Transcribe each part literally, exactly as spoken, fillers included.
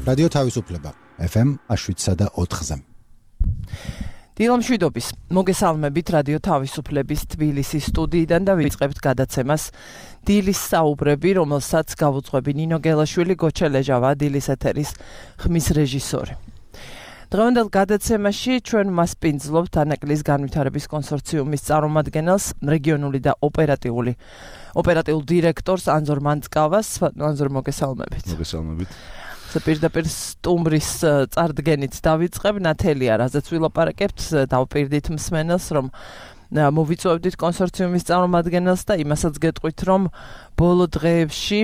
რადიო თავისუფლება ეფ ემ შვიდსა და ოთხზე. დილამშვიდობის მოგესალმებით რადიო თავისუფლების თბილისის სტუდიიდან და ვიწყებთ გადაცემას დილის საუბრები, რომელსაც გავუძღვები ნინო გელაშვილი, გოჩა ლეჟავა, დილის ეთერის ხმის რეჟისორი. დღევანდელ გადაცემაში ჩვენ მასპინძლობთ ანაკლის განვითარების კონსორციუმის წარმომადგენელს, რეგიონული და ოპერატიული ოპერატიულ დირექტორს ანზორ მანწკავას. ანზორ, მოგესალმებით. მოგესალმებით. პირდაპირ სტუმრის წარდგენით დავიწყებ, ნათელია, რაზეც ვილაპარაკებთ, დავპირდით მსმენელს, რომ მოვიწვევდით კონსორციუმის წარმომადგენელს და იმასაც გეტყვით, რომ ბოლო დღეებში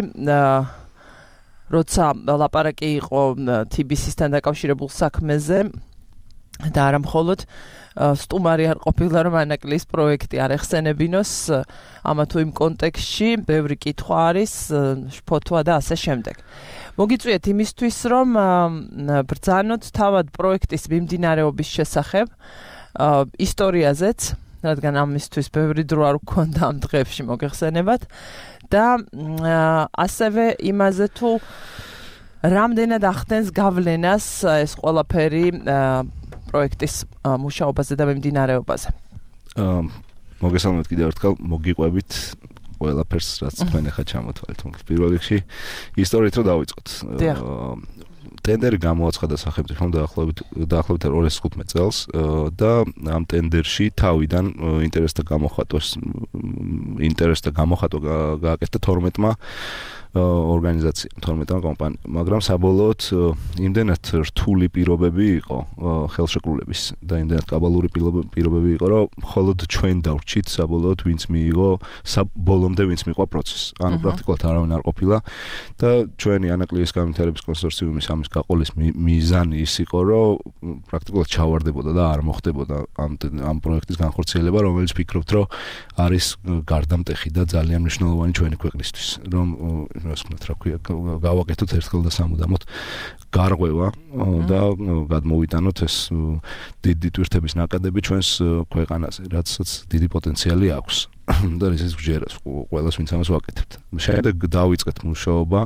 როცა ლაპარაკი იყო თი ბი სისთან დაკავშირებულ საქმეზე და არა მხოლოდ სტუმარი არ ყოფილა, რომ ანაკლის პროექტი არ ეხსენებინოს, ამა თუ იმ კონტექსტში ბევრი კითხვა არის, შფოთვა და ასე შემდეგ. მოგიწვიეთ იმისთვის, რომ ბრძანოთ თავად პროექტის მიმდინარეობის შესახებ, ისტორიაზეც, რადგან ამისთვის ბევრი დრო არ გვქონდა ამ დღეებში მოგეხსენებათ და ასევე იმაზე თუ რამდენად ახდენს გავლენას ეს ყველაფერი პროექტის მუშაობაზე და მიმდინარეობაზე. მოგესალმებით კიდევ ერთხელ, მოგიყვებით ყველაფერს, რაც თქვენ ახლა ჩამოთვალეთ. პირველ რიგში ისტორიით რო დავიწყოთ. ტენდერი გამოაცხადა სახელმწიფომ დაახლოებით დაახლოებით ორ ათას თხუთმეტ წელს და ამ ტენდერში თავიდან ინტერესთა გამოხატვას ინტერესთა გამოხატვა გააკეთა თორმეტმა ორგანიზაციამ, თორმეტმა კომპანიამ, მაგრამ საბოლოოდ იმდენად რთული პირობები იყო ხელშეკრულების და იმდენად კაბალური პირობები იყო, რომ მხოლოდ ჩვენ დავრჩით საბოლოოდ ვინც მიიღო საბოლომდე ვინც მიყვა პროცესს. ანუ პრაქტიკულად არავინ არ ყოფილა და ჩვენი ანაკლის განვითარების კონსორციუმის ამის გაყოლის მიზანი ის იყო, რომ პრაქტიკულად ჩავარდებოდა და არ მოხდებოდა ამ ამ პროექტის განხორციელება, რომელიც ფიქრობთ, რომ არის გარდამტეხი და ძალიან მნიშვნელოვანი ჩვენი ქვეყნისთვის, რომ ასმოთ რა ქვია, გავაკეთოთ ერთხელ და სამუდამოდ გარღვევა და გადმოვიტანოთ ეს დიდი ტვირთების ნაკადები ჩვენს ქვეყანაზე, რაცაც დიდი პოტენციალი აქვს. და ეს გჯერას ყველას ვინც ამას ვაკეთებთ. შემდეგ დავიწყეთ მუშაობა.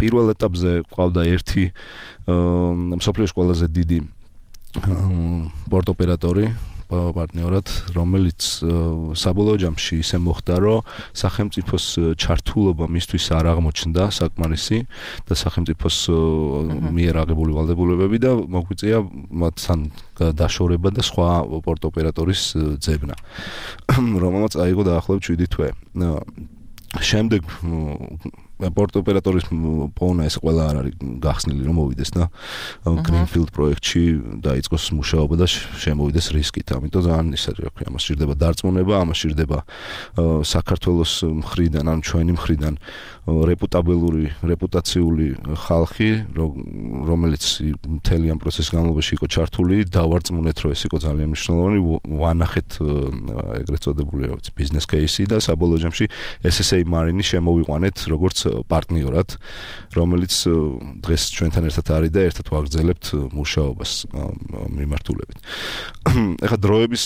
პირველ ეტაპზე ყავდა ერთი მსოფლიოს ყველაზე დიდი პორტ ოპერატორი პარტნიორად, რომელიც საბოლოო ჯამში ისე მოხდა, რომ სახელმწიფოს ჩართულობა მისთვის არ აღმოჩნდა საკმარისი და სახელმწიფოს მიერ აღებული ვალდებულებები და მოგვიწია მათთან დაშორება და სხვა პორტ ოპერატორის ძებნა, რომელმაც აიღო დაახლოებით შვიდი თვე. შემდეგ პორტ ოპერატორის პოვნა ეს ყველა არ არის გახსნილი, რომ მოვიდეს და გრინფილდ პროექტში დაიწყოს მუშაობა და შემოვიდეს რისკით. ამიტომ ძალიან ის არის, რა ქვია, ამას სჭირდება დარწმუნება, ამას სჭირდება საქართველოს მხრიდან, ან ჩვენი მხრიდან რეპუტაბელური, რეპუტაციული ხალხი, რომელიც მთელი ამ პროცესის განმავლობაში იყო ჩართული, დავარწმუნეთ, რომ ეს იყო ძალიან მნიშვნელოვანი, ვანახეთ ეგრეთ წოდებული ბიზნეს კეისი და საბოლოო ჯამში ეს ეს ეი მარინი შემოვიყვანეთ როგორც პარტნიორად, რომელიც დღეს ჩვენთან ერთად არის და ერთად ვაგრძელებთ მუშაობას მიმართულებით. ეხლა დროების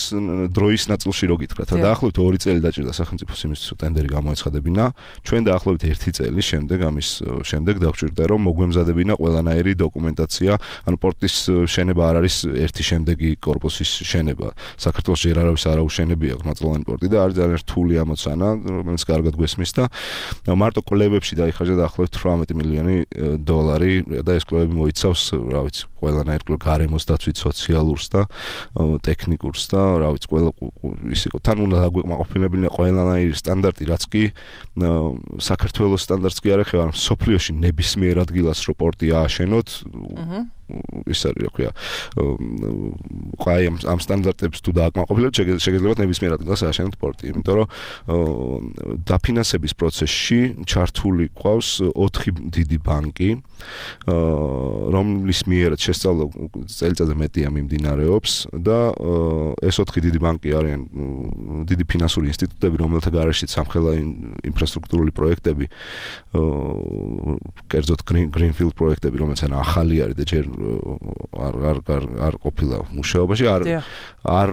დროის ნაწილში რო გითხრათ, დაახლოებით ორი წელი დაჭირდა სახელმწიფოს იმისთვის, რომ ტენდერი გამოეცხადებინა. ჩვენ დაახლოებით ერთი წელი შემდეგ ამის შემდეგ დაგვჭირდა, რომ მოგვემზადებინა ყველანაირი დოკუმენტაცია, ანუ პორტის შენება არ არის ერთი შემდეგი კორპუსის შენება. საქართველოს ჯერ არავის არ აუშენებია მაწლოვანი პორტი და არის ძალიან რთული ამოცანა, რომელიც კარგად გვესმის და მარტო კვლევებში დაიხარჯა დაახლოებით თვრამეტი მილიონი დოლარი და ეს კვლევები მოიცავს, რა ვიცი, ყველანაირ გარემოს დაცვით, სოციალურს და ტექნიკურს და რა ვიცი, ყველა ის იყო. თან უნდა დაგვეკმაყოფილებინა ყველანაირი სტანდარტი, რაც კი საქართველოს სტანდარტს კი არ ეხება, მაგრამ სოფლიოში ნებისმიერ ადგილას რო პორტი ააშენოთ, ის არის, რა ქვია, ყაი ამ სტანდარტებს თუ დააკმაყოფილებთ, შეგიძლიათ ნებისმიერ ადგილას ააშენოთ პორტი, იმიტომ რომ დაფინანსების პროცესში ჩართული ყავს ოთხი დიდი ბანკი, რომლის მიერაც შესწავლა წელიწადზე მეტია მიმდინარეობს და ეს ოთხი დიდი ბანკი არიან დიდი ფინანსური ინსტიტუტები, რომელთა გარეშეც სამხელა ინფრასტრუქტურული პროექტები, კერძოდ გრინფილდ პროექტები, რომელიც ახალი არის და ჯერ არ არ არ არ ყოფილა მუშაობაში, არ არ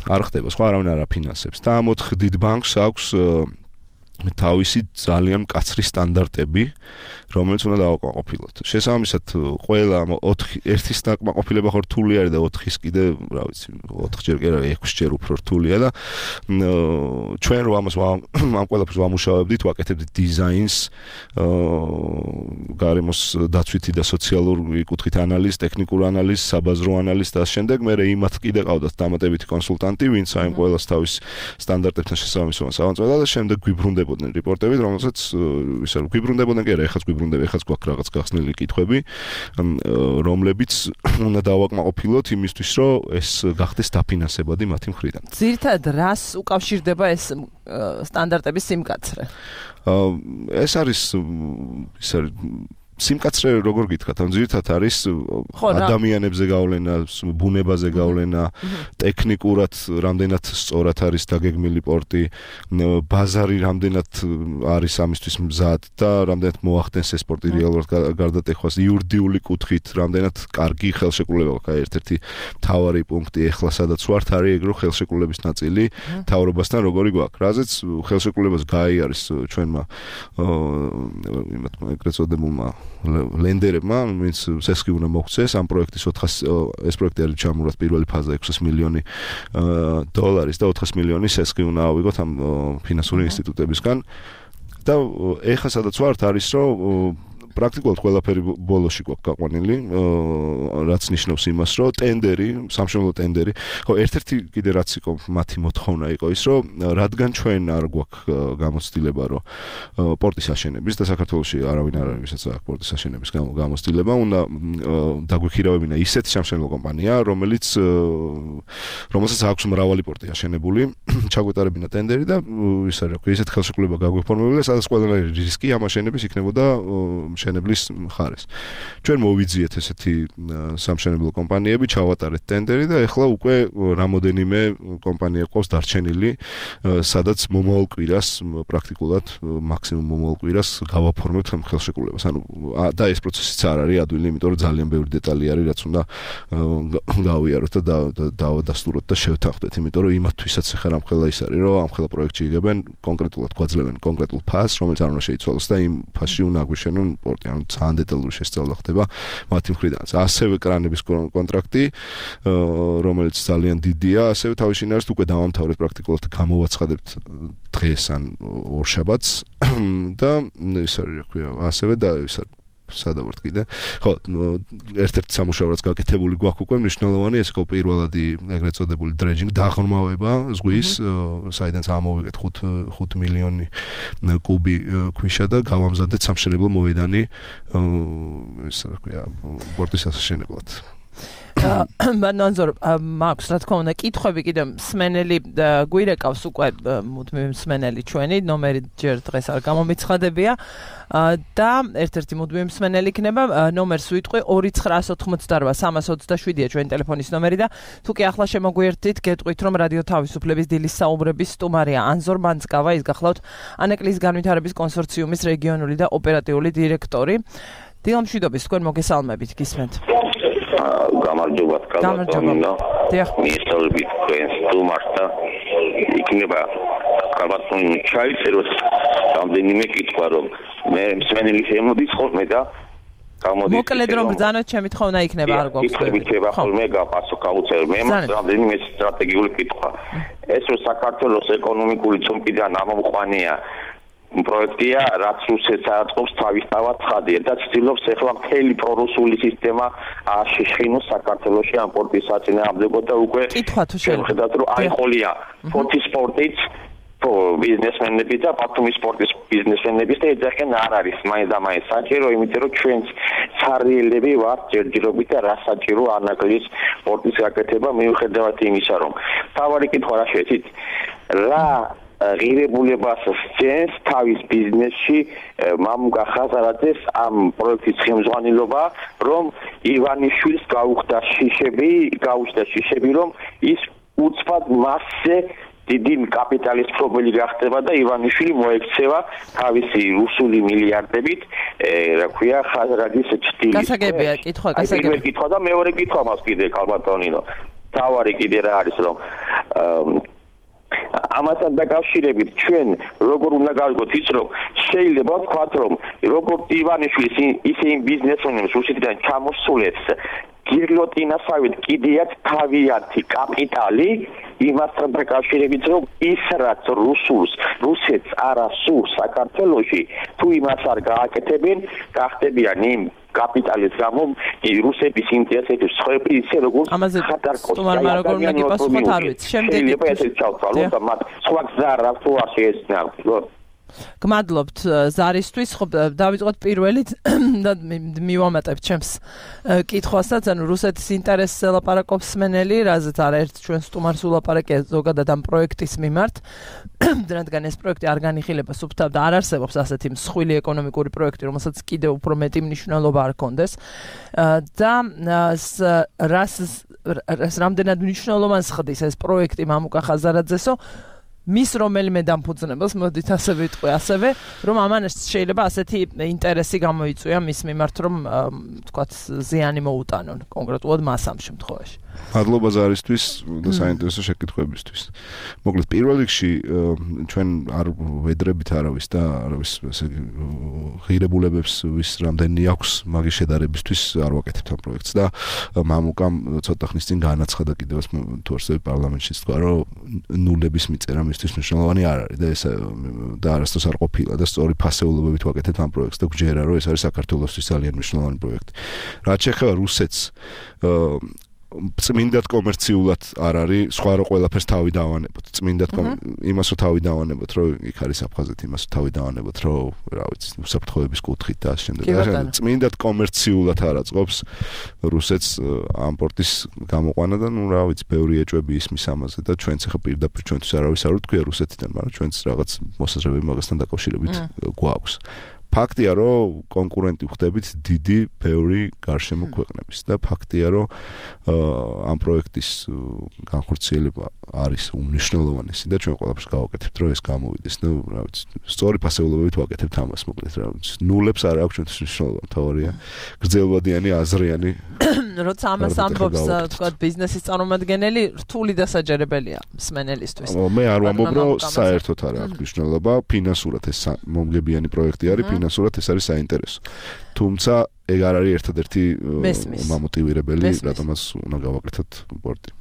არ ხდება, სხვა არავინ არ აფინანსებს. და ამ ოთხ დიდ ბანკს აქვს თავისი ძალიან მკაცრი სტანდარტები, რომელიც უნდა დავაკმაყოფილოთ. შესაბამისად, ყველა ოთხი ერთის დაკმაყოფილება ხო რთული არის და ოთხის კიდე, რა ვიცი, ოთხჯერ კი არა, ექვსჯერ უფრო რთულია და ჩვენ რო ამას ამ ყველაფერს ვამუშავებდით, ვაკეთებდით დიზაინს, გარემოს დაცვითი და სოციალური კუთხით ანალიზს, ტექნიკურ ანალიზს, საბაზრო ანალიზს და შემდეგ მე იმათ კიდე ყავდათ დამატებითი კონსულტანტი, ვინც აი ყველას თავის სტანდარტებთან შესაბამისობაში სავანწმედა და შემდეგ გვიბრუნდებოდნენ რეპორტებით, რომელსაც ისე გვიბრუნდებოდნენ კი არა, ეხლა გვიბრუნდება, ეხლა გვაქვს რაღაც გახსნილი კითხვები, რომლებიც უნდა დავაკმაყოფილოთ იმისთვის, რომ ეს გახდეს დაფინანსებადი მათი მხრიდან. ძირითადად რას უკავშირდება ეს სტანდარტების სიმკაცრე? ეს არის ის არის სიმკაცრე როგორ გითხრათ, ამ ძირითადად არის ადამიანებზე გავლენა, ბუნებაზე გავლენა, ტექნიკურად რამდენად სწორად არის დაგეგმილი პორტი, ბაზარი რამდენად არის ამისთვის მზად და რამდენად მოახდენს ეს პორტი რეალურად გარდატეხვას, იურიდიული კუთხით რამდენად კარგი ხელშეკრულება აქვს. აი ერთ-ერთი მთავარი პუნქტი ახლა სადაც ვართ არის ეგ რომ ხელშეკრულების ნაწილი მთავრობასთან როგორი გვაქვს. რაზეც ხელშეკრულებას გაიარეს ჩვენმა იმათმა ეგრეთ წოდებულმა ლენდერებმა, ვინც სესხი უნდა მოგვცეს ამ პროექტის ოთხასი ეს პროექტი არის ჩამურათ პირველი ფაზა ექვსი მილიონი დოლარის და ოთხასი მილიონი სესხი უნდა ავიღოთ ამ ფინანსური ინსტიტუტებისგან და ეხლა სადაც ვართ არის რომ პრაქტიკულად ყველაფერი ბოლოში გვაქვს გაყვანილი, რაც ნიშნავს იმას, რომ ტენდერი, სამშენებლო ტენდერი, ხო, ერთ-ერთი კიდე რაც იყო მათი მოთხოვნა იყო ის, რომ რადგან ჩვენ არ გვაქვს გამოცდილება, რომ პორტის აშენების და საქართველოში არავინ არ არის, ვისაც აქვს პორტის აშენების გამოცდილება, უნდა დაგვიქირავებინა ისეთი სამშენებლო კომპანია, რომელიც რომელსაც აქვს მრავალი პორტი აშენებული, ჩაგვეტარებინა ტენდერი და ის არის, რა ქვია, ისეთი ხელშეკრულება გაგვიფორმებინა, სადაც ყველანაირი რისკი ამ აშენების იქნებოდა მშენებლის მხარეს. ჩვენ მოვიძიეთ ესეთი სამშენებლო კომპანიები, ჩავატარეთ ტენდერი და ეხლა უკვე რამოდენიმე კომპანია ყავს დარჩენილი, სადაც მომავალ კვირას პრაქტიკულად მაქსიმუმ მომავალ კვირას გავაფორმებთ ამ ხელშეკრულებას. ანუ და ეს პროცესიც არ არის ადვილი, იმიტომ რომ ძალიან ბევრი დეტალი არის, რაც უნდა გავიაროთ და დავადასტუროთ და შევთანხმდეთ, იმიტომ რომ იმათთვისაც ახლა რამხელა ის არის, რომ ამ ხელა პროექტში იგებენ კონკრეტულად გვაძლევენ კონკრეტულ ფასს, რომელიც არ უნდა შეიცვალოს და იმ ფასში უნდა აგვიშენონ პორტი, ანუ ძალიან დეტალური შესწავლა ხდება მათი მხრიდანაც. ასევე კრანების კონტრაქტი, რომელიც ძალიან დიდია, ასევე თავისინ არის უკვე დავამთავრეთ პრაქტიკულად გამოვაცხადებთ დღეს ან ორშაბათს და ის არის, რა ქვია, ასევე და ის არის სადავართ კიდე. ხო, ერთ-ერთი სამუშაო რაც გაკეთებული გვაქვს უკვე მნიშვნელოვანი, ეს იყო პირველადი ეგრეთ წოდებული დრეჯინგ, დაღრმავება ზღვის, საიდანაც ამოვიგეთ ხუთ მილიონი კუბი ქვიშა და გავამზადეთ სამშენებლო მოედანი, ეს რა ქვია, პორტის აშენებლად. მანანზორ მაქვს რა თქმა უნდა კითხვები კიდე მსმენელი გვირეკავს უკვე მუდმივი მსმენელი ჩვენი ნომერი ჯერ დღეს არ გამომიცხადებია და ერთ-ერთი მუდმივი მსმენელი იქნება ნომერს ვიტყვი ორი ცხრაას ოთხმოცდარბა სამას ოცდაშვიდია ჩვენი ტელეფონის ნომერი და თუ კი ახლა შემოგვიერთდით გეტყვით რომ რადიო თავისუფლების დილის საუბრების სტუმარია ანზორ მანძკავა, ის გახლავთ ანეკლიის განვითარების კონსორციუმის რეგიონული და ოპერატიული დირექტორი. დილამშვიდობის, თქვენ მოგესალმებით, გისმენთ. გამარჯობათ კალბატონინო. მისწავლებით თქვენს სტუმარს და იქნება კალბატონინო ჩაიწეროთ რამდენიმე კითხვა რომ მე მსმენელი შემოდის ხოლმე და გამოდის. მოკლედ რომ ბრძანოთ ჩემი თხოვნა იქნება არ გვაქვს. იქნება ხოლმე გაპასუხ გაუწევ მე მას რამდენიმე სტრატეგიული კითხვა. ეს რომ საქართველოს ეკონომიკური წუმკიდან ამომყვანია პროექტია, რაც რუსეთს აწყობს თავისთავად ცხადია და ცდილობს ახლა მთელი პრორუსული სისტემა შეშინოს საქართველოში ამ პორტის საწინააღმდეგო და უკვე კითხვა თუ შეხედათ რომ აიყოლია ფორტის სპორტიც ბიზნესმენები და ბათუმის სპორტის ბიზნესმენები და ეძახიან არ არის მაინც და მაინც საჭირო, იმიტომ რომ ჩვენ ცარიელები ვართ ჯერჯერობით და რა საჭირო ანაკლის პორტის გაკეთება მიუხედავად იმისა რომ თავარი კითხვა რა შეეცით რა ღირებულებას სცენს თავის ბიზნესში მამუკა ხაზარაძეს ამ პროექტის ხელმძღვანელობა, რომ ივანიშვილს გაუხდა შიშები, გაუხდა შიშები, რომ ის უცბად მასზე დიდი კაპიტალის პრობლემა გახდება და ივანიშვილი მოექცევა თავისი რუსული მილიარდებით, რა ქვია, ხაზარაძის ჭტილი. გასაგებია, კითხვა, გასაგებია. პირველი კითხვა და მეორე კითხვა მას კიდე კალბატონინო. თავარი კიდე რა არის, რომ ამასთან დაკავშირებით ჩვენ როგორ უნდა გავიგოთ ის რომ შეიძლება ვთქვათ რომ როგორც ივანიშვილის ისე იმ ბიზნესმენებს რუსეთიდან ჩამოსულებს გირლოტინასავით კიდეაც თავიანთი კაპიტალი იმასთან დაკავშირებით რომ ის რაც რუსულს რუსეთს არ ასურს საქართველოში თუ იმას არ გააკეთებენ გახდებიან იმ კაპიტალის გამო რუსების ინტერესების სხვები ისე როგორც ხატარკოს სტუმარმა როგორ უნდა გიპასუხოთ არ ვიცი შემდეგი შეიძლება ესეც ჩავთვალოთ და მათ სხვა გზა რა თუ არ შეეცნათ გმადლობთ ზარისთვის ხო დავიწყოთ პირველი და მივამატებ ჩემს კითხვასაც ანუ რუსეთის ინტერესს ელაპარაკობს სმენელი რაზეც არაერთ ჩვენ სტუმარს ულაპარაკია ზოგადად ამ პროექტის მიმართ რადგან ეს პროექტი არ განიხილება სუფთავ და არ არსებობს ასეთი მსხვილი ეკონომიკური პროექტი რომელსაც კიდევ უფრო მეტი მნიშვნელობა არ ჰქონდეს და რას რამდენად მნიშვნელოვანს ხდის ეს პროექტი მამუკა ხაზარაძესო მის რომელიმე დამფუძნებელს მოდით ასე ვიტყვი ასევე რომ ამან შეიძლება ასეთი ინტერესი გამოიწვია მის მიმართ რომ თქვათ ზიანი მოუტანონ კონკრეტულად მას ამ შემთხვევაში მადლობა ზარისთვის და საინტერესო შეკითხვებისთვის მოკლედ პირველ რიგში ჩვენ არ ვედრებით არავის და არავის ესე ღირებულებებს ვის რამდენი აქვს მაგის შედარებისთვის არ ვაკეთებთ ამ პროექტს და მამუკამ ცოტა ხნის წინ განაცხადა კიდევაც თუ არსებობს პარლამენტში თქვა რომ ნულების მიწერა მისთვის მნიშვნელოვანი არ არის და ეს და არასდროს არ ყოფილა და სწორი ფასეულობებით ვაკეთებთ ამ პროექტს და გვჯერა რომ ეს არის საქართველოსთვის ძალიან მნიშვნელოვანი პროექტი რაც შეეხება რუსეთს წმინდად კომერციულად არ არის სხვა რო ყველაფერს თავი დავანებოთ წმინდად იმას რო თავი დავანებოთ რომ იქ არის აფხაზეთი იმას რო თავი დავანებოთ რომ რა ვიცი უსაფრთხოების კუთხით და ამ შემდეგ წმინდად კომერციულად არ აწყობს რუსეთს ამ პორტის გამოყვანა და ნუ რა ვიცი ბევრი ეჭვები ისმის ამაზე და ჩვენც ახლა პირდაპირ ჩვენთვის არავის არ ვთქვია რუსეთიდან მაგრამ ჩვენც რაღაც მოსაზრებები მაგასთან დაკავშირებით გვაქვს ფაქტია რომ კონკურენტი ხდებით დიდი ბევრი გარშემო ქვეყნების და ფაქტია რომ ამ პროექტის განხორციელება არის უმნიშვნელოვანესი და ჩვენ ყველაფერს გავაკეთებთ რომ ეს გამოვიდეს და რა ვიცი სწორი ფასეულობებით ვაკეთებთ ამას მოკლედ რა ვიცი ნულებს არ აქვს ჩვენთვის მნიშვნელოვანი თავარია გრძელვადიანი აზრიანი როცა ამას ამბობს თქვა ბიზნესის წარმომადგენელი რთული დასაჯერებელია მსმენელისთვის მე არ ვამბობ რომ საერთოდ არ აქვს მნიშვნელობა ფინანსურად ეს მომგებიანი პროექტი არის ფინანსურად ეს არის საინტერესო თუმცა ეგ არ არის ერთადერთი მომოტივირებელი რატომაც უნდა გავაკეთოთ პორტი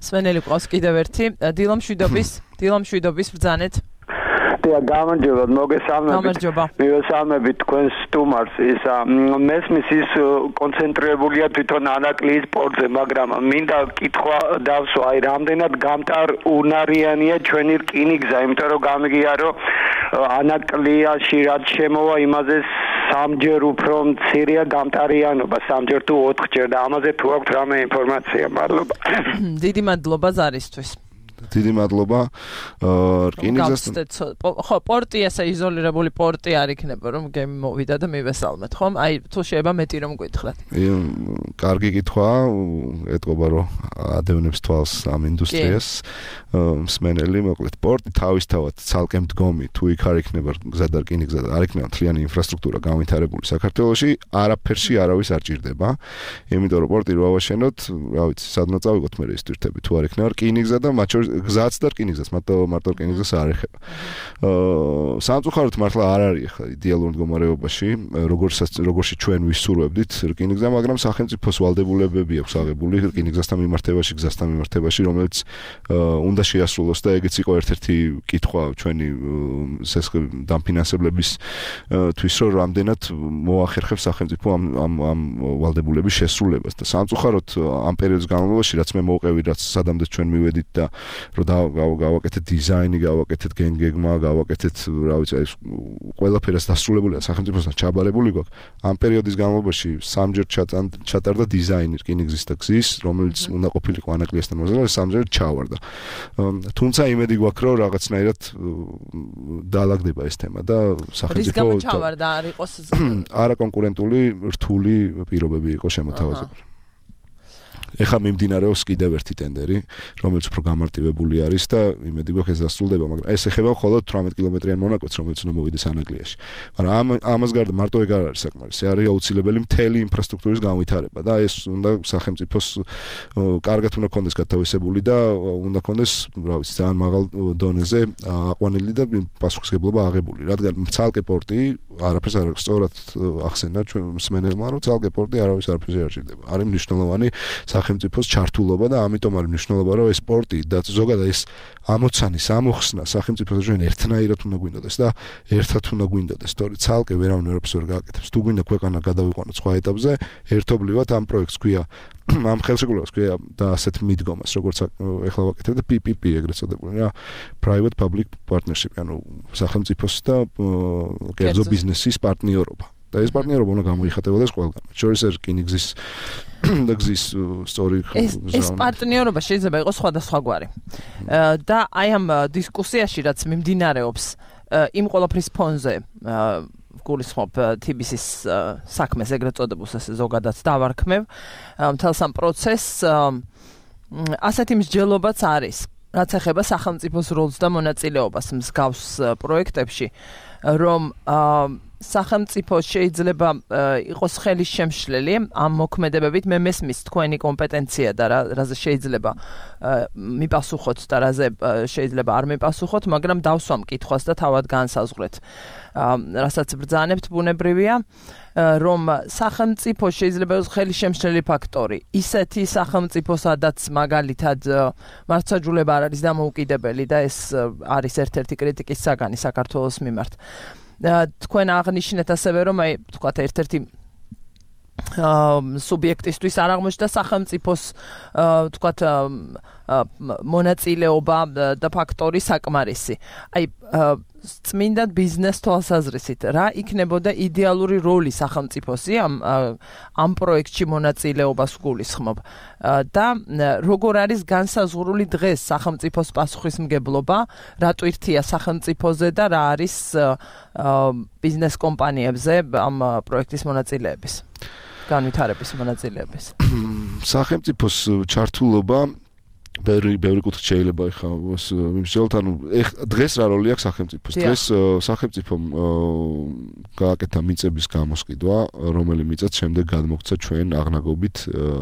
სვენელი ყავს კიდევ ერთი დილა მშვიდობის დილა მშვიდობის ბრძანეთ და გამარჯობა მოგესალმებით მივესალმებით თქვენს სტუმარს ის მესმის ის კონცენტრირებულია თვითონ ანაკლიის პორტზე მაგრამ მინდა კითხვა დავსვა აი რამდენად გამტარუნარიანია ჩვენი რკინიგზა იმიტომ რომ გამიგია რომ ანაკლიაში რაც შემოვა იმაზე სამჯერ უფრო მცირეა გამტარიანობა სამჯერ თუ ოთხჯერ და ამაზე თუ აქვთ რამე ინფორმაცია მადლობა დიდი მადლობა ზარისთვის დიდი მადლობა რკინიგზასთან ხო პორტი ესე იზოლირებული პორტი არ იქნება რომ გემი მოვიდა და მივესალმეთ ხომ აი თუ შეიძლება მეტი რომ გითხრათ კარგი კითხვა ეტყობა რომ ადევნებს თვალს ამ ინდუსტრიას მსმენელი მოკლედ პორტი თავისთავად ცალკე მდგომი თუ იქ არ იქნება გზა და რკინიგზა და არ იქნება მთლიანი ინფრასტრუქტურა განვითარებული საქართველოში არაფერში არავის არ ჭირდება იმიტომ რომ პორტი რო ავაშენოთ რა ვიცი სადღაც წავიღოთ მე ის თვირთები თუ არ იქნება რკინიგზა და მათ შორის გზაც და რკინიგზას მარტო მარტო რკინიგზას არ ეხება აა სამწუხაროდ მართლა არ არის ახლა იდეალურ მდგომარეობაში როგორცაც როგორში ჩვენ ვისურვებდით რკინიგზა მაგრამ სახელმწიფოს ვალდებულებები აქვს აღებული რკინიგზასთან მიმართებაში გზასთან მიმართებაში რომელიც უნდა შეასრულოს და ეგეც იყო ერთ-ერთი კითხვა ჩვენი დამფინანსებლების თვის რომ რამდენად მოახერხებს სახელმწიფო ამ ამ ამ ვალდებულების შესრულებას და სამწუხაროდ ამ პერიოდის განმავლობაში რაც მე მოვყევი რაც სადამდე ჩვენ მივედით და რომ გავაკეთეთ დიზაინი, გავაკეთეთ გენგეგმა, გავაკეთეთ, რა ვიცი, ეს ყველაფერს დასრულებულია სახელმწიფოსთან ჩაბარებული გვაქვს. ამ პერიოდის განმავლობაში სამჯერ ჩატარდა დიზაინი რკინიგზის და გზის, რომელიც უნდა ყოფილიყო ანაკლიასთან მოზრდილი, სამჯერ ჩავარდა. თუმცა იმედი გვაქვს, რომ რაღაცნაირად დაალაგდება ეს თემა და სახელმწიფო რის გამო ჩავარდა არ იყოს არაკონკურენტული რთული პირობები იყო შემოთავაზებული. ეხლა მიმდინარეობს კიდევ ერთი ტენდერი, რომელიც უფრო გამარტივებული არის და იმედი გვაქვს ეს დასრულდება, მაგრამ ეს ეხება მხოლოდ თვრამეტ კილომეტრიან მონაკვეთს, რომელიც უნდა მოვიდეს ანაგლიაში. მაგრამ ამ ამას გარდა მარტო ეგ არ არის საკმარისი, არის აუცილებელი მთელი ინფრასტრუქტურის განვითარება და ეს უნდა სახელმწიფოს კარგად უნდა კონდეს გათავისებული და უნდა კონდეს, რა ვიცი, ძალიან მაღალ დონეზე აყვანილი და პასუხისმგებლობა აღებული, რადგან ცალკე პორტი არაფერს არ აქვს, სწორად ახსენდა ჩვენ მსმენელმა, რომ ცალკე პორტი არავის არაფერზე არ ჭირდება. არის მნიშვნელოვანი სახელმწიფოს ჩართულობა და ამიტომ არის მნიშვნელობა, რომ ეს სპორტი და ზოგადად ეს ამოცანის ამოხსნა სახელმწიფოს ჩვენ ერთნაირად უნდა გვინდოდეს და ერთად უნდა გვინდოდეს, თორე ცალკე ვერავინ არაფერს ვერ გააკეთებს. თუ გვინდა ქვეყანა გადავიყვანოთ სხვა ეტაპზე, ერთობლივად ამ პროექტს ქვია ამ ხელშეკრულებას ქვია და ასეთ მიდგომას, როგორც ეხლა ვაკეთებ და პი პი პი ეგრეთ წოდებული რა, private public partnership, ანუ სახელმწიფოს და კერძო ბიზნესის პარტნიორობა. და ეს პარტნიორობა უნდა გამოიხატებოდეს ყველგან. შორის ეს რკინიგზის და გზის სწორი ეს პარტნიორობა შეიძლება იყოს სხვადასხვაგვარი. და აი ამ დისკუსიაში რაც მიმდინარეობს იმ ყველაფრის ფონზე გულისხმობ თი ბი სის საქმეს ეგრეთ წოდებულს ესე ზოგადად დავარქმევ მთელს ამ პროცესს ასეთი მსჯელობაც არის რაც ეხება სახელმწიფოს როლს და მონაწილეობას მსგავს პროექტებში რომ სახელმწიფო შეიძლება იყოს ხელის შემშლელი ამ მოქმედებებით მე მესმის თქვენი კომპეტენცია და რაზე შეიძლება მიპასუხოთ და რაზე შეიძლება არ მიპასუხოთ მაგრამ დავსვამ კითხვას და თავად განსაზღვრეთ რასაც ბრძანებთ ბუნებრივია რომ სახელმწიფო შეიძლება იყოს ხელის შემშლელი ფაქტორი ისეთი სახელმწიფო სადაც მაგალითად მართლმსაჯულება არ არის დამოუკიდებელი და ეს არის ერთ-ერთი კრიტიკის საგანი საქართველოს მიმართ თქვენ აღნიშნეთ ასევე რომ აი თქვათ ერთ-ერთი სუბიექტისთვის არ აღმოჩნდა სახელმწიფოს თქვათ მონაწილეობა და ფაქტორი საკმარისი. აი წმინდა ბიზნეს თვალსაზრისით რა იქნებოდა იდეალური როლი სახელმწიფოსი ამ ამ პროექტში მონაწილეობას გულისხმობ და როგორ არის განსაზღვრული დღეს სახელმწიფოს პასუხისმგებლობა რა ტვირთია სახელმწიფოზე და რა არის ბიზნეს კომპანიებზე ამ პროექტის მონაწილეების განვითარების მონაწილეების სახელმწიფოს ჩართულობა ბევრი ბევრი კუთხით შეიძლება ეხა მიმსჯელოთ ანუ დღეს რა როლი აქვს სახელმწიფოს დღეს სახელმწიფომ გააკეთა მიწების გამოსყიდვა რომელი მიწაც შემდეგ გადმოგცა ჩვენ აღნაგობით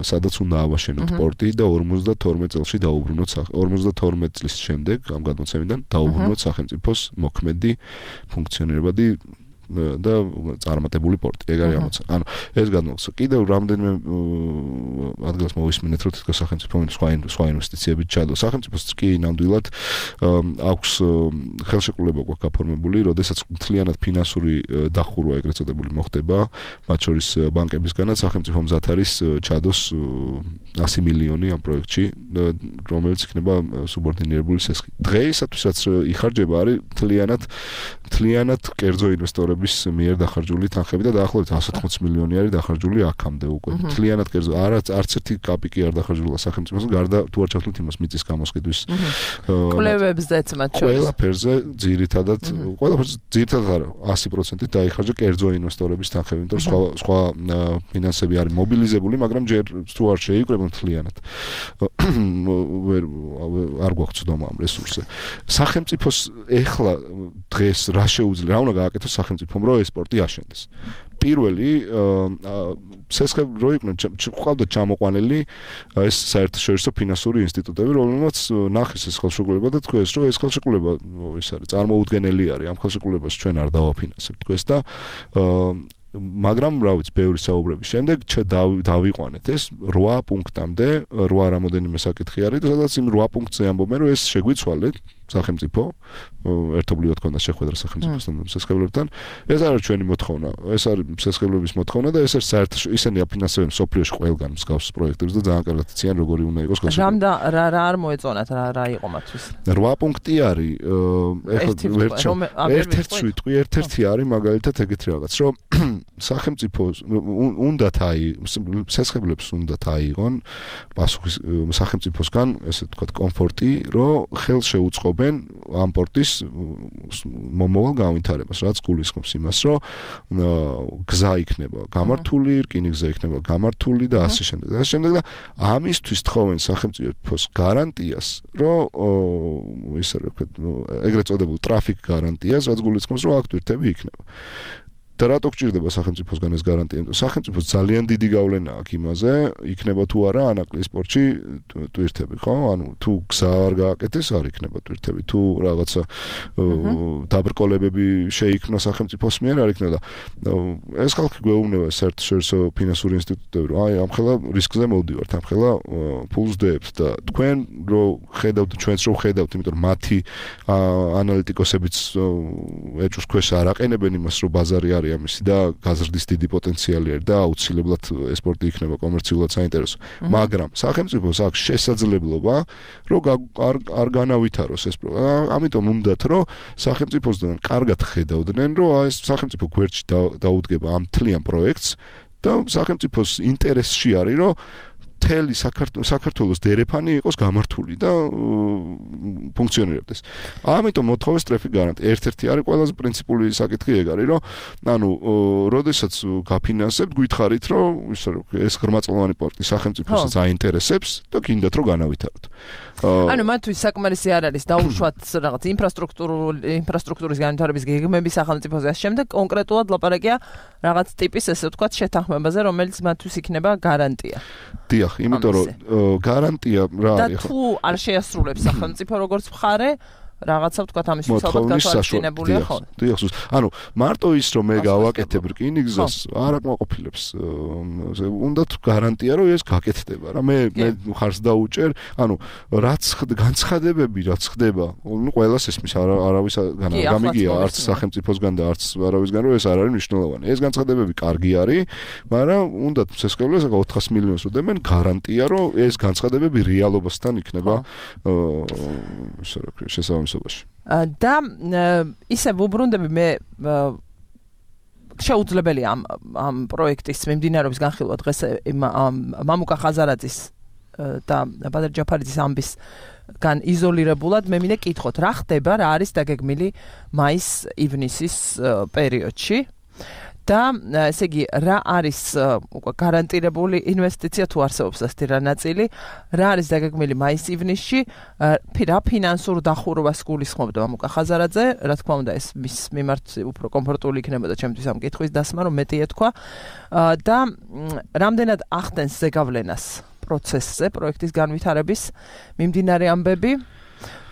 სადაც უნდა ავაშენოთ პორტი და ორმოცდათორმეტ წელში დაუბრუნოთ ორმოცდათორმეტ წლის შემდეგ ამ გადმოცემიდან დაუბრუნოთ სახელმწიფოს მოქმედი ფუნქციონირებადი და წარმატებული პორტი. ეგ არის ამოცანა. ანუ ეს გადმოგცა. კიდევ რამდენიმე ადგილას მოვისმინეთ, რომ თითქოს სახელმწიფო სხვა სხვა ინვესტიციებით ჩადო. სახელმწიფოს კი ნამდვილად აქვს ხელშეკრულება გვაქვს გაფორმებული, როდესაც მთლიანად ფინანსური დახურვა ეგრეთ წოდებული მოხდება, მათ შორის ბანკებისგანაც სახელმწიფო მზად არის ჩადოს ასი მილიონი ამ პროექტში, რომელიც იქნება სუბორდინირებული სესხი. დღეისათვის იხარჯება არის მთლიანად მთლიანად კერძო ინვესტორები მიერ დახარჯული თანხები და დაახლოებით εκατს ოცდაოთხ მილიონი არის დახარჯული აქამდე უკვე. მთლიანად კერძო არც არც ერთი კაპიკი არ დახარჯულა სახელმწიფოს გარდა თუ არ ჩავთვლით იმას მიწის გამოსყიდვის კვლევებზეც მათ შორის. ყველაფერზე ძირითადად ყველაფერზე ძირითადად არა ასი პროცენტით დაიხარჯა კერძო ინვესტორების თანხები, იმიტომ რომ სხვა სხვა ფინანსები არის მობილიზებული, მაგრამ ჯერ თუ არ შეიკრება მთლიანად. არ გვაქვს ცდომა ამ რესურსზე. სახელმწიფოს ეხლა დღეს რა შეუძლია, რა უნდა გააკეთოს სახელმწიფომ რომ ეს სპორტი აშენდეს. პირველი სესხებ რო იყვნენ ყავდა ჩამოყვანილი ეს საერთაშორისო ფინანსური ინსტიტუტები, რომელმაც ნახეს ეს ხელშეკრულება და თქვეს რომ ეს ხელშეკრულება ის არის წარმოუდგენელი არის, ამ ხელშეკრულებას ჩვენ არ დავაფინანსებთ თქვეს და მაგრამ რა ვიცი ბევრი საუბრების შემდეგ დავიყვანეთ ეს რვა პუნქტამდე, რვა რამოდენიმე საკითხი არის და სადაც იმ რვა პუნქტზე ამბობენ რომ ეს შეგვიცვალეთ სახელმწიფო ერთობლივად ქონდა შეხვედრა სახელმწიფოსთან და სესხებლებთან. ეს არის ჩვენი მოთხოვნა, ეს არის სესხებლების მოთხოვნა და ეს არის საერთაშორისო ისინი აფინანსებენ სოფლიოში ყველგან მსგავს პროექტებს და ძალიან კარგად იციან როგორი უნდა იყოს ხელშეკრულება. რამდა რა რა არ მოეწონათ რა რა იყო მათთვის. რვა პუნქტი არის ეხლა ერთ-ერთი ვიტყვი, ერთ-ერთი არის მაგალითად ეგეთი რაღაც, რომ სახელმწიფო უნდათ აი სესხებლებს უნდათ აიღონ პასუხი სახელმწიფოსგან, ესე ვთქვათ, კომფორტი, რომ ხელს შეუწყო თხრობენ ამ პორტის მომავალ განვითარებას, რაც გულისხმობს იმას, რომ გზა იქნება გამართული, რკინიგზა იქნება გამართული და ასე შემდეგ და ასე შემდეგ და ამისთვის თხოვენ სახელმწიფოს გარანტიას, რომ ისე რა ვქოთ, ეგრეთ წოდებულ ტრაფიკ გარანტიას, რაც გულისხმობს, რომ აქ თვირთები იქნება. და რატო გჭირდება სახელმწიფოსგან ეს გარანტია? სახელმწიფოს ძალიან დიდი გავლენა აქვს იმაზე, იქნება თუ არა ანაკლიის პორტში ტვირთები, ხო? ანუ თუ გზა არ გააკეთეს, არ იქნება ტვირთები, თუ რაღაცა დაბრკოლებები შეიქმნა სახელმწიფოს მიერ, არ იქნება. ეს ხალხი გვეუბნება საერთაშორისო ფინანსური ინსტიტუტები, რომ აი, ამხელა რისკზე მოვდივართ, ამხელა ფულს დევთ და თქვენ რო ხედავთ, ჩვენც რო ხედავთ, იმიტომ რომ მათი ანალიტიკოსებიც ეჭვს ქვეშ არ აყენებენ იმას, რომ ბაზარი არის ამისი და გაზრდის დიდი პოტენციალი არის და აუცილებლად ესპორტი იქნება კომერციულად საინტერესო. მაგრამ სახელმწიფოს აქვს შესაძლებლობა, რომ არ არ განავითაროს ეს პროგრამა. ამიტომ უნდათ, რომ სახელმწიფოსგან კარგად ხედავდნენ, რომ აი ეს სახელმწიფო გვერდში დაუდგება ამ მთლიან პროექტს და სახელმწიფოს ინტერესში არის, რომ მთელი საქართველოს დერეფანი იყოს გამართული და ფუნქციონირებდეს. ამიტომ მოთხოვეს ტრაფიკ გარანტია. ერთ-ერთი არის ყველაზე პრინციპული საკითხი ეგ არის, რომ ანუ როდესაც გაფინანსებთ, გითხარით, რომ ისე რომ ეს ღრმაწლოვანი პორტი სახელმწიფოსაც აინტერესებს და გინდათ რომ განავითაროთ. ანუ მათთვის საკმარისი არ არის დაუშვათ რაღაც ინფრასტრუქტურული ინფრასტრუქტურის განვითარების გეგმები სახელმწიფოზე ამ შემდეგ კონკრეტულად ლაპარაკია რაღაც ტიპის ესე ვთქვათ შეთანხმებაზე, რომელიც მათთვის იქნება გარანტია. დიახ, იმიტომ რომ გარანტია რა არის ხო? და თუ არ შეასრულებს სახელმწიფო როგორც მხარე რაღაცა ვთქვათ ამის უცალბად გათვალისწინებულია ხო? დიახ, ანუ მარტო ის რომ მე გავაკეთებ რკინიგზას არ აკმაყოფილებს. უნდათ გარანტია რომ ეს გაკეთდება რა. მე მე ხარს დაუჭერ, ანუ რაც განცხადებები რაც ხდება, ნუ ყველას ესმის არავის გამიგია არც სახელმწიფოსგან და არც არავისგან რომ ეს არ არის მნიშვნელოვანი. ეს განცხადებები კარგი არის, მაგრამ უნდათ შესაძლოა ოთხას მილიონს უდემენ გარანტია რომ ეს განცხადებები რეალობასთან იქნება ისე რა ქვია შესაბამისობაში. და ისე ვუბრუნდები მე შეუძლებელია ამ ამ პროექტის მიმდინარეობის განხილვა დღეს მამუკა ხაზარაძის და ბადარ ჯაფარიძის ამბისგან იზოლირებულად მე მინდა კითხოთ რა ხდება, რა არის დაგეგმილი მაის-ივნისის პერიოდში და ესე იგი რა არის უკვე გარანტირებული ინვესტიცია თუ არსებობს ასეთი რა ნაწილი, რა არის დაგეგმილი მაის-ივნისში, რა ფინანსურ დახურვას გულისხმობდა მამუკა ხაზარაძე, რა თქმა უნდა ეს მის მიმართ უფრო კომფორტული იქნებოდა ჩემთვის ამ კითხვის დასმა, რომ მეტი ეთქვა და რამდენად ახდენს ზეგავლენას პროცესზე, პროექტის განვითარების მიმდინარე ამბები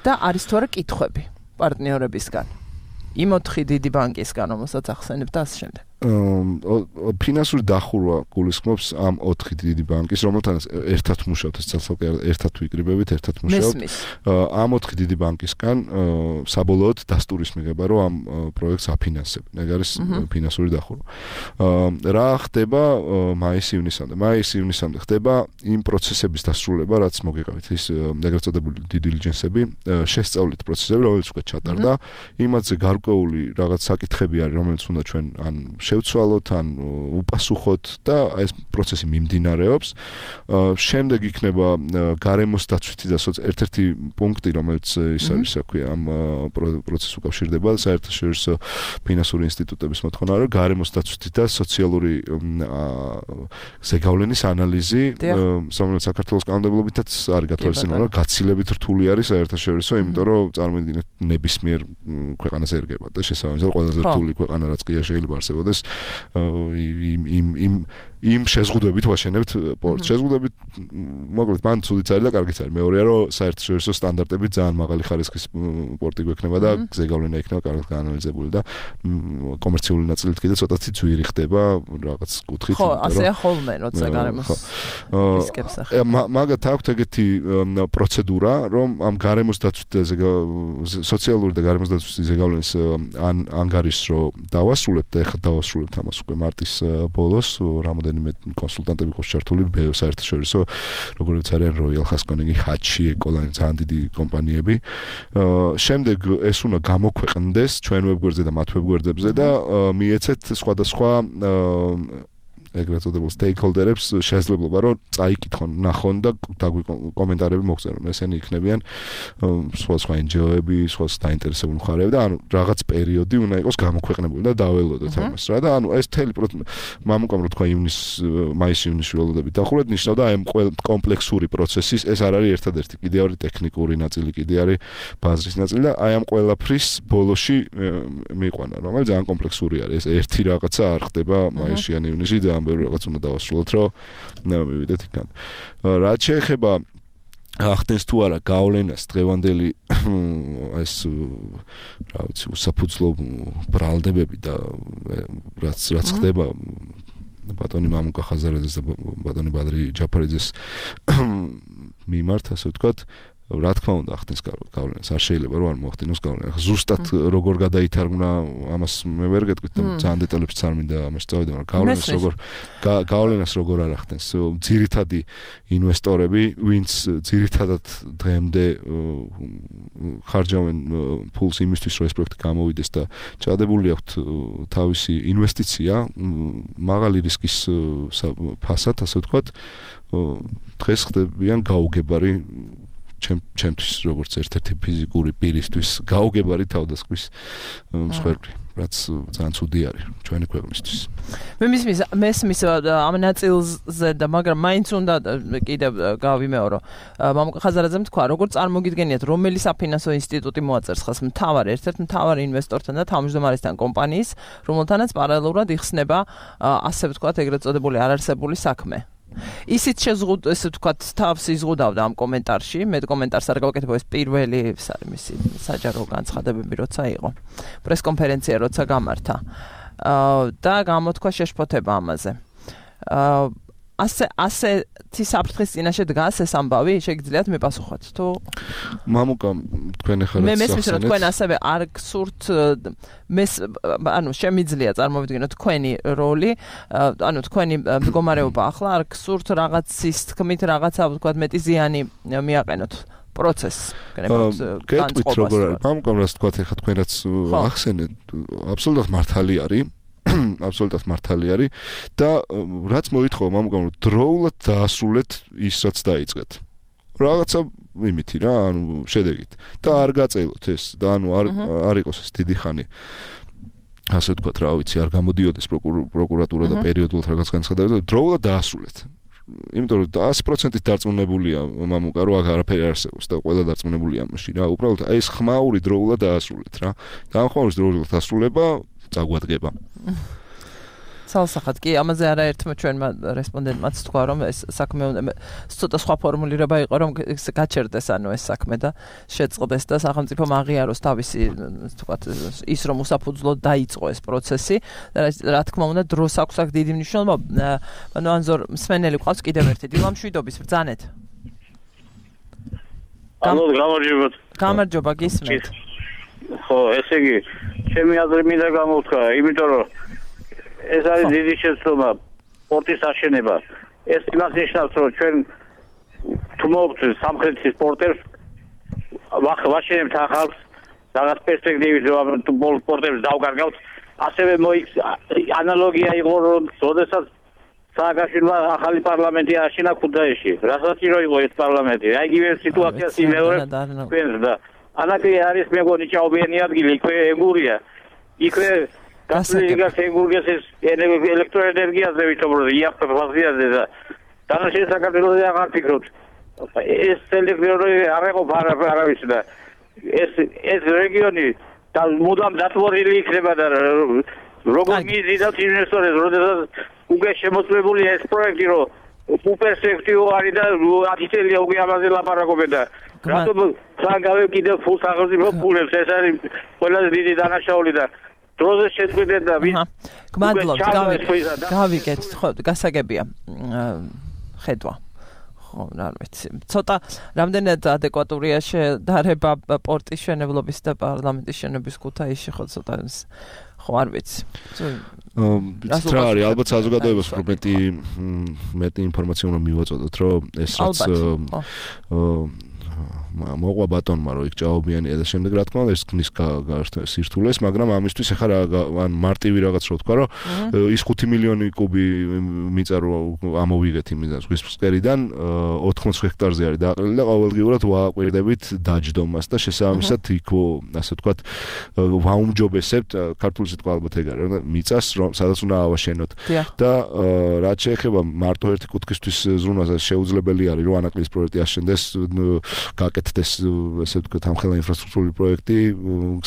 და არის თუ არა კითხვები პარტნიორებისგან, იმ ოთხი დიდი ბანკისგან, რომელსაც ახსენებთ და ასე შემდეგ. ფინანსური დახურვა გულისხმობს ამ ოთხი დიდი ბანკის, რომელთანაც ერთად მუშაობთ, ეს ცალკე ერთად ვიკრიბებით, ერთად მუშაობთ. ამ ოთხი დიდი ბანკისგან საბოლოოდ დასტურის მიღება, რომ ამ პროექტს აფინანსებენ. ეგ არის ფინანსური დახურვა. რა ხდება მაის-ივნისამდე? მაის-ივნისამდე ხდება იმ პროცესების დასრულება, რაც მოგიყავით, ის ეგრეთ წოდებული due diligence-ები, შესწავლით პროცესები, რომელიც უკვე ჩატარდა, იმათზე გარკვეული რაღაც საკითხები არის, რომელიც უნდა ჩვენ ან შევცვალოთ, ან უპასუხოთ და ეს პროცესი მიმდინარეობს. შემდეგ იქნება გარემოს დაცვითი და ერთ-ერთი პუნქტი, რომელიც ის არის, რა ქვია, ამ პროცესს უკავშირდება, საერთაშორისო ფინანსური ინსტიტუტების მოთხოვნა, რომ გარემოს დაცვითი და სოციალური ზეგავლენის ანალიზი, რომელიც საქართველოს კანონმდებლობითაც არის გათვალისწინებული, რომ გაცილებით რთული არის საერთაშორისო, იმიტომ რომ წარმოიდგინეთ ნებისმიერ ქვეყანას ერგება და შესაბამისად ყველაზე რთული ქვეყანა რაც კი შეიძლება არსებობდეს იმ იმ იმ იმ შეზღუდვებით ვაშენებთ პორტს. შეზღუდვებით მოკლედ მან ცუდიც არის და კარგიც არის. მეორეა რომ საერთაშორისო სტანდარტებით ძალიან მაღალი ხარისხის პორტი გვექნება და ზეგავლენა იქნება კარგად გაანალიზებული და კომერციული ნაწილით კიდე ცოტათი ძვირი ხდება რაღაც კუთხით. ხო, ასეა ხოლმე, როცა გარემოს რისკებს ახლა. მაგათ აქვს ეგეთი პროცედურა, რომ ამ გარემოს დაცვითი სოციალური და გარემოს დაცვითი ზეგავლენის ანგარიშს რო დავასრულებთ და ეხლა დავასრულებთ ამას უკვე მარტის ბოლოს, რამოდენიმე კონსულტანტები ყავს ჩართული საერთაშორისო, როგორც არიან Royal Haskoning, Hachi, Ecolane, ძალიან დიდი კომპანიები. შემდეგ ეს უნდა გამოქვეყნდეს ჩვენ ვებგვერდზე და მათ ვებგვერდებზე და მიეცეთ სხვადასხვა ეგრეთ წოდებულ stakeholder-ებს შესაძლებლობა რომ წაიკითხონ, ნახონ და კომენტარები მოგწერონ. ესენი იქნებიან სხვა სხვა εν ჯი ო-ები, სხვა დაინტერესებული მხარეები და ანუ რაღაც პერიოდი უნდა იყოს გამოქვეყნებული და დაველოდოთ ამას რა და ანუ ეს მთელი მამუკამ რო თქვა ივნის მაის-ივნისში ველოდებით დახურეთ ნიშნავდა აი ამ კომპლექსური პროცესის ეს არ არის ერთადერთი კიდე არის ტექნიკური ნაწილი კიდე არის ბაზრის ნაწილი და აი ამ ყველაფრის ბოლოში მიიყვანა რომელიც ძალიან კომპლექსური არის ეს ერთი რაღაცა არ ხდება მაისში ან ივნისში და ამ ბევრი რაღაც უნდა დავასრულოთ რომ მივიდეთ იქან რაც შეეხება ახდენს თუ არა გავლენას დღევანდელი ეს რა ვიცი უსაფუძვლო ბრალდებები და რაც რაც ხდება ბატონი მამუკა ხაზარაძეს და ბატონი ბადრი ჯაფარიძეს მიმართ ასე ვთქვათ რა თქმა უნდა ახდენს გავლენას არ შეიძლება რომ არ მოახდინოს გავლენა ზუსტად როგორ გადაითარგმნა ამას მე ვერ გეტყვით და ძალიან დეტალებს არ მინდა ამას წავიდე მაგრამ გავლენას როგორ გავლენას როგორ არ ახდენს ძირითადი ინვესტორები ვინც ძირითადად დღემდე ხარჯავენ ფულს იმისთვის რომ ეს პროექტი გამოვიდეს და ჩადებული აქვთ თავისი ინვესტიცია მაღალი რისკის ფასად ასე ვთქვათ დღეს ხდებიან გაუგებარი ჩემთვის როგორც ერთ-ერთი ფიზიკური პირისთვის გაუგებარი თავდასხმის მსხვერპლი, რაც ძალიან ცუდი არის ჩვენი ქვეყნისთვის. მე მისმის მესმის ამ ნაწილზე და მაგრამ მაინც უნდა კიდევ გავიმეორო. მამუკა ხაზარაძემ თქვა, როგორ წარმოგიდგენიათ, რომელი საფინანსო ინსტიტუტი მოაწერს ხას მთავარ ერთ-ერთ მთავარ ინვესტორთან და თავმჯდომარესთან კომპანიის, რომელთანაც პარალელურად იხსნება ასე ვთქვათ, ეგრეთ წოდებული არარსებული საქმე. ისიც შეზღუდ ესე ვთქვათ თავს იზღუდავდა ამ კომენტარში მე კომენტარს არ გავაკეთებ ეს პირველი ეს არის მისი საჯარო განცხადებები როცა იყო პრესკონფერენცია როცა გამართა და გამოთქვა შეშფოთება ამაზე ასე ასეთი საფრთხის წინაშე დგას ეს ამბავი შეგიძლიათ მიპასუხოთ თუ მამუკა თქვენ ახლა მე მესმის რომ თქვენ ასევე არ გსურთ მეს ანუ შემიძლია წარმოვიდგინოთ თქვენი როლი ანუ თქვენი მდგომარეობა ახლა არ გსურთ რაღაცის თქმით რაღაცა ვთქვათ მეტი ზიანი მიაყენოთ პროცესს გეტყვით როგორ არის მამუკა რას თქვათ ახლა თქვენ რაც ახსენეთ აბსოლუტურად მართალი არის აბსოლუტურად მართალი არის და რაც მოითხოვა მამუკამ რომ დროულად დაასრულეთ ის რაც დაიწყეთ რაღაცა იმითი რა ანუ შედეგით და არ გაწელოთ ეს და ანუ არ არ იყოს ეს დიდი ხანი ასე ვთქვათ რა ვიცი არ გამოდიოდეს პროკურატურა და პერიოდულად რაღაც განცხადებები და დროულად დაასრულეთ იმიტომ რომ ათი პროცენტით დარწმუნებულია მამუკა რომ არაფერი არ არსებობს და ყველა დარწმუნებულია ამაში რა უბრალოდ აი ეს ხმაური დროულად დაასრულეთ რა და ამ ხმაურის დროულად დასრულება წაგვადგება. სალსახად კი ამაზე არაერთმა ჩვენმა რესპონდენტმაც თქვა რომ ეს საქმე ცოტა სხვა ფორმულირება იყო რომ გაჩერდეს ანუ ეს საქმე და შეწყდეს და სახელმწიფო აღიაროს თავისი თქვათ ის რომ უსაფუძვლოდ დაიწყო ეს პროცესი და რა თქმა უნდა დროს აქვს აქ დიდი მნიშვნელობა ანუ ანზორ მსმენელი ყავს კიდევ ერთი დილამშვიდობის ბრძანეთ ანუ გამარჯობა გამარჯობა გისმენთ ხო ესე იგი ჩემი აზრი მინდა გამოვთქვა იმიტომ რომ ეს არის დიდი შეცდომა სპორტის აშენება ეს იმას ნიშნავს რომ ჩვენ თუ მოვწევთ სამხრეთის სპორტებს ვაშენებთ ახალს რაღაც პერსპექტივით რომ სპორტებს დავკარგავთ ასევე ანალოგია იყო რომ როდესაც სააკაშვილმა ახალი პარლამენტი აშენა ქუთაისში რასაც რო იყო ეს პარლამენტი აი იგივე სიტუაციას იმეორებს თქვენს და ანაკი არის მეგონი ჭაობიანი ადგილი იქვე ეგურია იქვე გასაგებია ეგურგეს ეს ელექტროენერგიაზე ვითომ იაფფაზიაზე და დანაშენ საქართველოს აღარ ფიქრობთ ეს ელექტრონი არ იყო არავის და ეს ეს რეგიონი და მუდამ დათვალილი იქნება და როგორ მიზიდათ ინვესტორებს როდესაც უკვე შემოწმებულია ეს პროექტი რომ უპერსპექტივო არის და ათი წელია უკვე ამაზე ლაპარაკობენ და რატომ სანგავე კიდევ ფულს აღზრდილი ფულებს ეს არის ყველაზე დიდი დანაშაული და დროზე შეწყვეტენ და გმადლობთ გავიგეთ ხო გასაგებია ხედვა ხო რა ვიცი ცოტა რამდენად ადეკვატურია შედარება პორტის მშენებლობის და პარლამენტის მშენებლობის ქუთაისში ხო ცოტა ხო არ ვიცი რა არის ალბათ საზოგადოებას უფრო მეტი მეტი ინფორმაცია უნდა მივაწოდოთ რომ ეს რაც მოყვა ბატონმა რომ იქ ჭაობიანია და შემდეგ რა თქმა უნდა ეს ქნის სირთულეს, მაგრამ ამისთვის ახლა რა ან მარტივი რაღაც რო თქვა რომ ის ხუთი მილიონი კუბი მიწა რო ამოვიგეთ იმიდან ზღვის ფსკერიდან ოთხმოც ჰექტარზე არის დააყრილი და ყოველდღიურად ვააკვირდებით დაჯდომას და შესაბამისად იქ ასე ვთქვათ ვაუმჯობესებთ ქართული სიტყვა ალბათ ეგ არის რომ მიწას რომ სადაც უნდა ავაშენოთ და რაც შეეხება მარტო ერთი კუთხისთვის ზრუნვაზე შეუძლებელი არის რომ ანაკლის პროექტი აშენდეს გაკეთდეს ესე ვთქვათ ამხელა ინფრასტრუქტურული პროექტი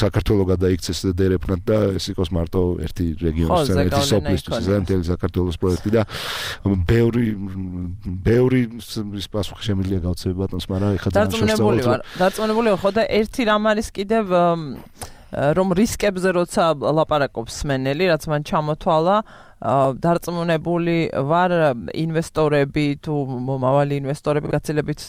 საქართველოს გადაიქცეს დერეფნად და ეს იყოს მარტო ერთი რეგიონის ერთი სოფლისთვის ზემთელი საქართველოს პროექტი და ბევრი ბევრი ის პასუხი შემიძლია გავცემ ბატონს მაგრამ ეხლა დარწმუნებული ვარ დარწმუნებული ვარ ხო და ერთი რამ არის კიდევ რომ რისკებზე როცა ლაპარაკობს სმენელი რაც მან ჩამოთვალა დარწმუნებული ვარ ინვესტორები თუ მომავალი ინვესტორები გაცილებით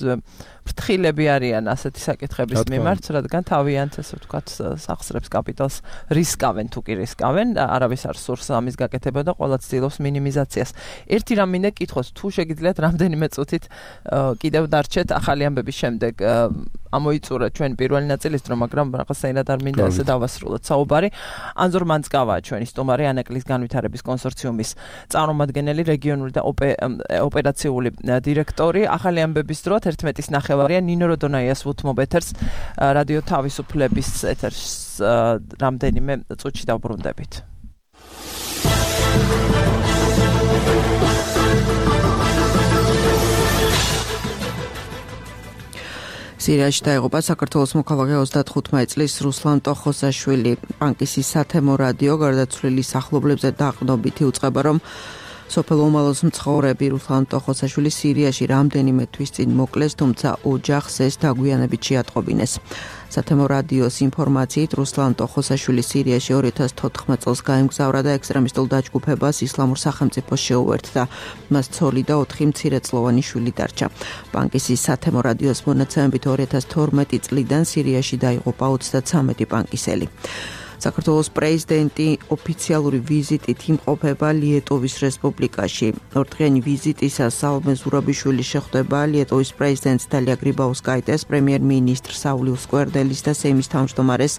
ფრთხილები არიან ასეთი საკითხების მიმართ, რადგან თავიანთ ესე ვთქვათ სახსრებს კაპიტალს რისკავენ თუ კი რისკავენ და არავის არ სურს ამის გაკეთება და ყველა ცდილობს მინიმიზაციას. ერთი რამ მინდა კითხოს, თუ შეგიძლიათ რამდენიმე წუთით კიდევ დარჩეთ ახალი ამბების შემდეგ ამოიწურა ჩვენ პირველი ნაწილის დრო, მაგრამ რაღაცაირად არ მინდა ასე დავასრულოთ საუბარი. ანზორ მანძკავაა ჩვენი სტუმარი ანაკლის განვითარების კონსორციუმის წარმომადგენელი, რეგიონული და ოპერაციული დირექტორი. ახალი ამბების დრო ერთმეტის ნახევარია ნინო როდონაიას უთმობ ეთერს რადიო თავისუფლების ეთერს რამდენიმე წუთში დავბრუნდებით. სირიაში დაიღუპა საქართველოს მოქალაქე ოცდათხუთმეტი წლის რუსლან ტოხოსაშვილი. პანკისის სათემო რადიო გარდაცვლილი სახლობლებზე დაყრდნობითი უწყება, რომ სოფელ ომალოს მცხოვრები რუსლან ტოხოსაშვილი სირიაში რამდენიმე თვის წინ მოკლეს, თუმცა ოჯახს ეს დაგვიანებით შეატყობინეს. სათემო რადიოს ინფორმაციით რუსლან ტოხოსაშვილი სირიაში ორი ათას თოთხმეტ წელს გაემგზავრა და ექსტრემისტულ დაჯგუფებას ისლამურ სახელმწიფოს შეუერთდა. მას ცოლი და ოთხი მცირეწლოვანი შვილი დარჩა. პანკისის სათემო რადიოს მონაცემებით ორი ათას თორმეტი წლიდან სირიაში დაიღუპა ოცდაცამეტი პანკისელი. საქართველოს პრეზიდენტი ოფიციალური ვიზიტით იმყოფება ლიეტოვის რესპუბლიკაში. ორდღიანი ვიზიტისას სალომე ზურაბიშვილი შეხვდება ლიეტოვის პრეზიდენტს დალია გრიბაუსკაიტეს, პრემიერ-მინისტრ საულიუს სკვერდელის და სეიმის თავმჯდომარეს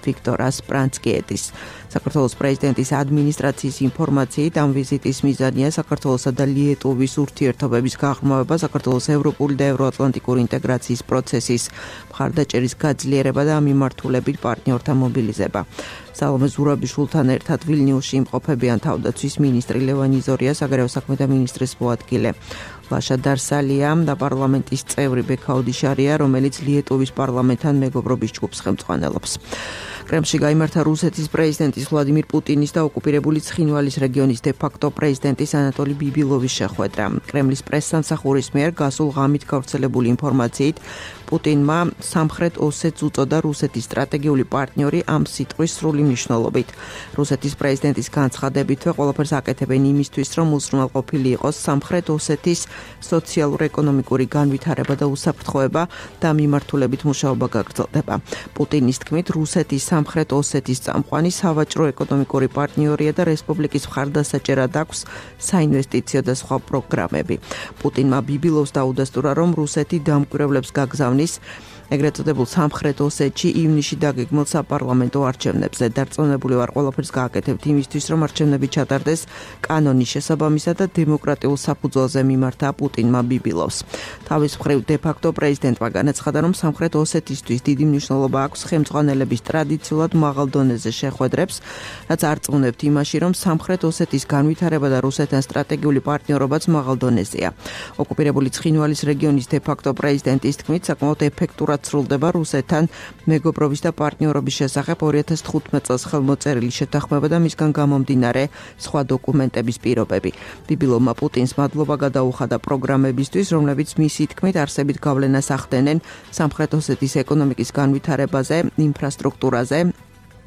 ვიქტორას პრანცკიეტის. საქართველოს პრეზიდენტის ადმინისტრაციის ინფორმაციით ამ ვიზიტის მიზანია საქართველოსა და ლიეტოვის ურთიერთობების გაღრმავება, საქართველოს ევროპული და ევროატლანტიკური ინტეგრაციის პროცესის მხარდაჭერის გაძლიერება და ამ მიმართულებით პარტნიორთა მობილიზება. სალომე ზურაბიშვილთან ერთად ვილნიუსში იმყოფებიან თავდაცვის მინისტრი ლევან იზორია, საგარეო საქმეთა მინისტრის მოადგილე ლაშა დარსალია და პარლამენტის წევრი ბექაუდიშარია, რომელიც ლიეტოვის პარლამენტთან მეგობრობის ჯგუფს ხელმძღვანელობს. კრემლში გაიმართა რუსეთის პრეზიდენტის ვლადიმირ პუტინის და ოკუპირებული ცხინვალის რეგიონის დე-ფაქტო პრეზიდენტის ანატოლი ბიბილოვის შეხვედრა. კრემლის პრესსამსახურის მიერ გასულ ღამით გავრცელებული ინფორმაციით პუტინმა სამხრეთ ოსეთს უწოდა რუსეთის სტრატეგიული პარტნიორი ამ სიტყვის სრული მნიშვნელობით. რუსეთის პრეზიდენტის განცხადებითვე ყველაფერს აკეთებენ იმისთვის, რომ უზრუნველყოფილი იყოს სამხრეთ ოსეთის სოციალურ-ეკონომიკური განვითარება და უსაფრთხოება და მიმართულებით მუშაობა გაგრძელდება. პუტინის თქმით, რუსეთის სამხრეთ ოსეთის წამყვანი სავაჭრო-ეკონომიკური პარტნიორია და რესპუბლიკის მხარდასაჭერად აქვს საინვესტიციო და სხვა პროგრამები. პუტინმა ბიბილოვს დაუდასტურა, რომ რუსეთი დამკვირვებლებს გაგზავნის ეგრეთ წოდებულ სამხრეთ ოსეთში ივნისში დაგეგმილ საპარლამენტო არჩევნებზე. დარწმუნებული ვარ, ყველაფერს გააკეთებთ იმისთვის, რომ არჩევნები ჩატარდეს კანონის შესაბამისად და დემოკრატიულ საფუძველზე მიმართა პუტინმა ბიბილოვს. თავის მხრივ დე-ფაქტო პრეზიდენტმა განაცხადა, რომ სამხრეთ ოსეთისთვის დიდი მნიშვნელობა აქვს ხელმძღვანელების ტრადიციულად მაღალ დონეზე შეხვედრებს, რაც არწმუნებთ იმაში, რომ სამხრეთ ოსეთის განვითარება და რუსეთთან სტრატეგიული პარტნიორობაც მაღალ დონეზეა. ოკუპირებული ცხინვალის რეგიონის დე-ფაქტო პრეზიდენტის თქმით, საკმაოდ ეფექტურად სრულდება რუსეთთან მეგობრობის და პარტნიორობის შესახებ ორი ათას თხუთმეტ წელს ხელმოწერილი შეთანხმება და მისგან გამომდინარე სხვა დოკუმენტების პირობები. ბიბილოვმა პუტინს მადლობა გადაუხადა პროგრამებისთვის, რომლებიც მისი თქმით არსებით გავლენას ახდენენ სამხრეთ ოსეთის ეკონომიკის განვითარებაზე, ინფრასტრუქტურაზე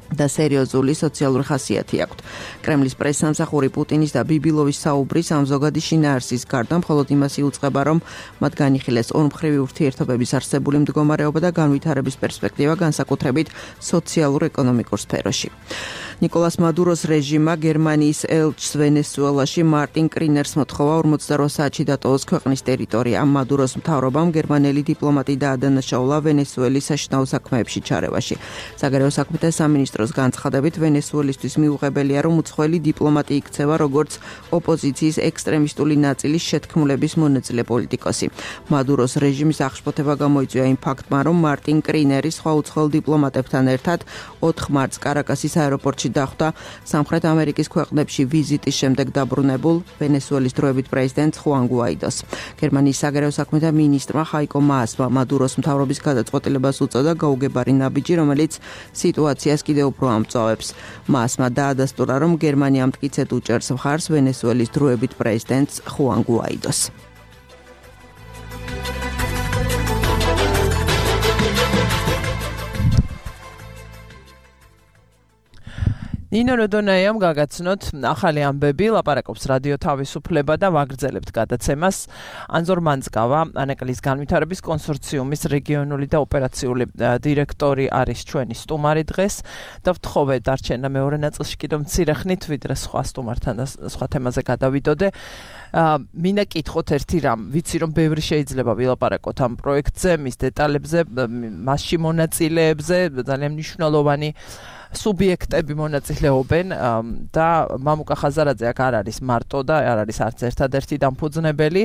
და სერიოზული სოციალური ხასიათი აქვთ. კრემლის პრესსამსახური პუტინის და ბიბილოვის საუბრის ამ ზოგადი შინაარსის გარდა მხოლოდ იმას იუწყება, რომ მათ განიხილეს ორმხრივი ურთიერთობების არსებული მდგომარეობა და განვითარების პერსპექტივა განსაკუთრებით სოციალურ-ეკონომიკურ სფეროში. ნიკოლას მადუროს რეჟიმმა გერმანიის ელჩს ვენესუელაში მარტინ კრინერს მოთხოვა ორმოცდაოთხ საათში დატოვოს ქვეყნის ტერიტორია. მადუროს მთავრობამ გერმანელი დიპლომატი დაადანაშაულა ვენესუელის საშინაო საქმეებში ჩარევაში. საგარეო საქმეთა სამინისტროს განცხადებით ვენესუელისთვის მიუღებელია, რომ უცხოელი დიპლომატი იქცევა როგორც ოპოზიციის ექსტრემისტული ნაწილის შეთქმულების მონაწილე პოლიტიკოსი. მადუროს რეჟიმის აღშფოთება გამოიწვია იმ ფაქტმა, რომ მარტინ კრინერი სხვა უცხოელ დიპლომატებთან ერთად ოთხ მარტს კარაკასის აეროპორტში დახვდა სამხრეთ ამერიკის ქვეყნებში ვიზიტის შემდეგ დაბრუნებულ ვენესუელის დროებით პრეზიდენტ ხუან გუაიდოს. გერმანიის საგარეო საქმეთა მინისტრმა ხაიკო მაასმა მადუროს მთავრობის გადაწყვეტილებას უწოდა გაუგებარი ნაბიჯი, რომელიც სიტუაციას კიდევ უფრო ამწვავებს. მაასმა დაადასტურა, რომ გერმანია მტკიცედ უჭერს მხარს ვენესუელის დროებით პრეზიდენტს ხუან გუაიდოს. ნინო როდონაიამ გაგაცნოთ ახალი ამბები, ლაპარაკობს რადიო თავისუფლება და ვაგრძელებთ გადაცემას. ანზორ მანძგავა, ანაკლის განვითარების კონსორციუმის რეგიონული და ოპერაციული დირექტორი არის ჩვენი სტუმარი დღეს და ვთხოვე დარჩენა მეორე ნაწილში კიდევ მცირე ხნით, ვიდრე სხვა სტუმართან და სხვა თემაზე გადავიდოდე. მინდა კითხოთ ერთი რამ, ვიცი რომ ბევრი შეიძლება ვილაპარაკოთ ამ პროექტზე, მის დეტალებზე, მასში მონაწილეებზე, ძალიან მნიშვნელოვანი სუბიექტები მონაწილეობენ და მამუკა ხაზარაძე აქ არ არის მარტო და არ არის არც ერთადერთი დამფუძნებელი,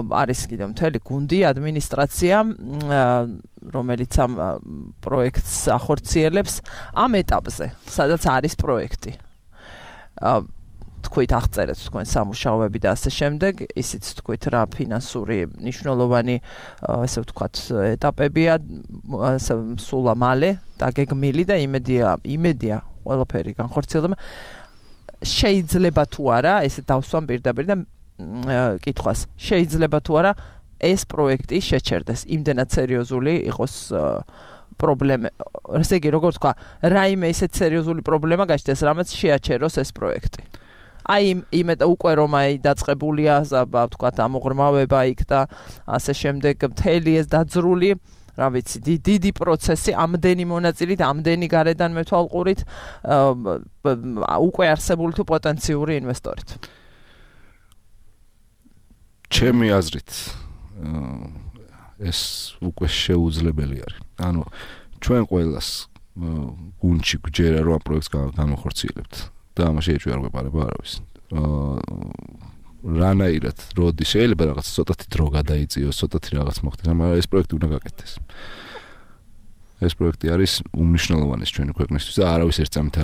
არის კიდევ მთელი გუნდი, ადმინისტრაცია, რომელიც ამ პროექტს ახორციელებს ამ ეტაპზე, სადაც არის პროექტი. თქვით აღწერეთ თქვენ სამუშაოები და ასე შემდეგ, ისიც თქვით რა ფინანსური მნიშვნელოვანი ესე ვთქვათ ეტაპებია სულა მალე დაგეგმილი და იმედია იმედია ყველაფერი განხორციელდება. შეიძლება თუ არა, ესე დავსვამ პირდაპირ და კითხვას, შეიძლება თუ არა ეს პროექტი შეჩერდეს, იმდენად სერიოზული იყოს პრობლემა, ესე იგი როგორ თქვა, რაიმე ისეთ სერიოზული პრობლემა გაჩნდეს, რამაც შეაჩეროს ეს პროექტი. აი იმედ უკვე რომ აი დაწყებულია ვთქვათ ამოღრმავება იქ და ასე შემდეგ მთელი ეს დაძრული, რა ვიცი, დიდი პროცესი, ამდენი მონაწილით, ამდენი გარედან მეთვალყურით, უკვე არსებული თუ პოტენციური ინვესტორით. ჩემი აზრით ეს უკვე შეუძლებელი არის. ანუ ჩვენ ყველას გუნდში გვჯერა რომ ამ პროექტს განვახორციელებთ. და ამაში ეჭვი არ გვეპარება არავის. რანაირად, როდი შეიძლება რაღაც ცოტათი დრო გადაიწიოს, ცოტათი რაღაც მოხდეს, მაგრამ ეს პროექტი უნდა გაკეთდეს. ეს პროექტი არის უმნიშვნელოვანესი ჩვენი ქვეყნისთვის და არავის ერთ წამით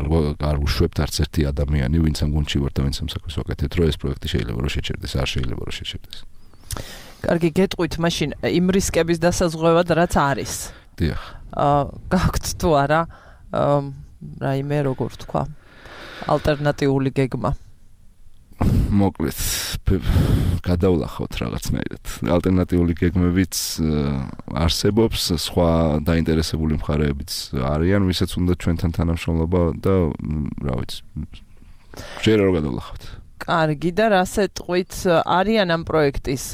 არ უშვებთ არც ერთი ადამიანი, ვინც ამ გუნდში ვარ და ვინც ამ საქმეს ვაკეთებ, რომ ეს პროექტი შეიძლება რომ შეჩერდეს, არ შეიძლება რომ შეჩერდეს. კარგი, გეტყვით მაშინ იმ რისკების დასაზღვევად რაც არის. დიახ. აა გაქვთ თუ არა რაიმე როგორ თქვა? ალტერნატიული გეგმა. მოკლედ, გადავლახავთ რაღაცნაირად. ალტერნატიული გეგმებიც არსებობს, სხვა დაინტერესებული მხარეებიც არიან, ვისაც უნდა ჩვენთან თანამშრომლობა და რა ვიცი. შეიძლება რომ გადავლახავთ. კარგი, და რა სეტყვით არიან ამ პროექტის?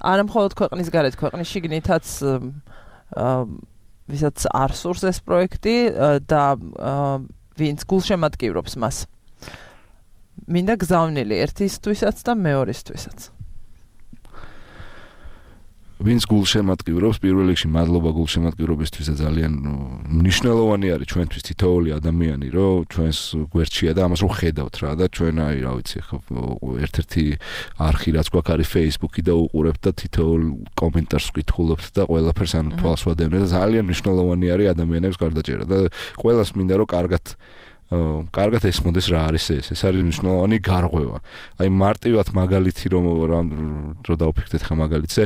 არა მხოლოდ ქვეყნის გარეთ, ქვეყნის შიგნითაც ვისაც არ სურს ეს პროექტი და ვინც გულშემატკივრობს მას. მინდა გზავნილი ერთისთვისაც და მეორესთვისაც. ვინც გულშემატკივრობს, პირველ რიგში მადლობა გულშემატკივრობისთვის და ძალიან მნიშვნელოვანი არის ჩვენთვის თითოეული ადამიანი, რომ ჩვენს გვერდშია და ამას რომ ხედავთ რა და ჩვენ აი რა ვიცი, ხო ერთ-ერთი არხი რაც გვაქვს არის Facebook-ი და უყურებთ და თითოეულ კომენტარს ვკითხულობთ და ყველაფერს ან თვალს ვადევნებთ და ძალიან მნიშვნელოვანი არის ადამიანებს გარდაჭერა და ყველას მინდა რომ კარგად კარგად ესმოდეს რა არის ეს. ეს არის მნიშვნელოვანი გარღვევა. აი მარტივად მაგალითი რომ რომ დავფიქრდეთ ხა მაგალითზე,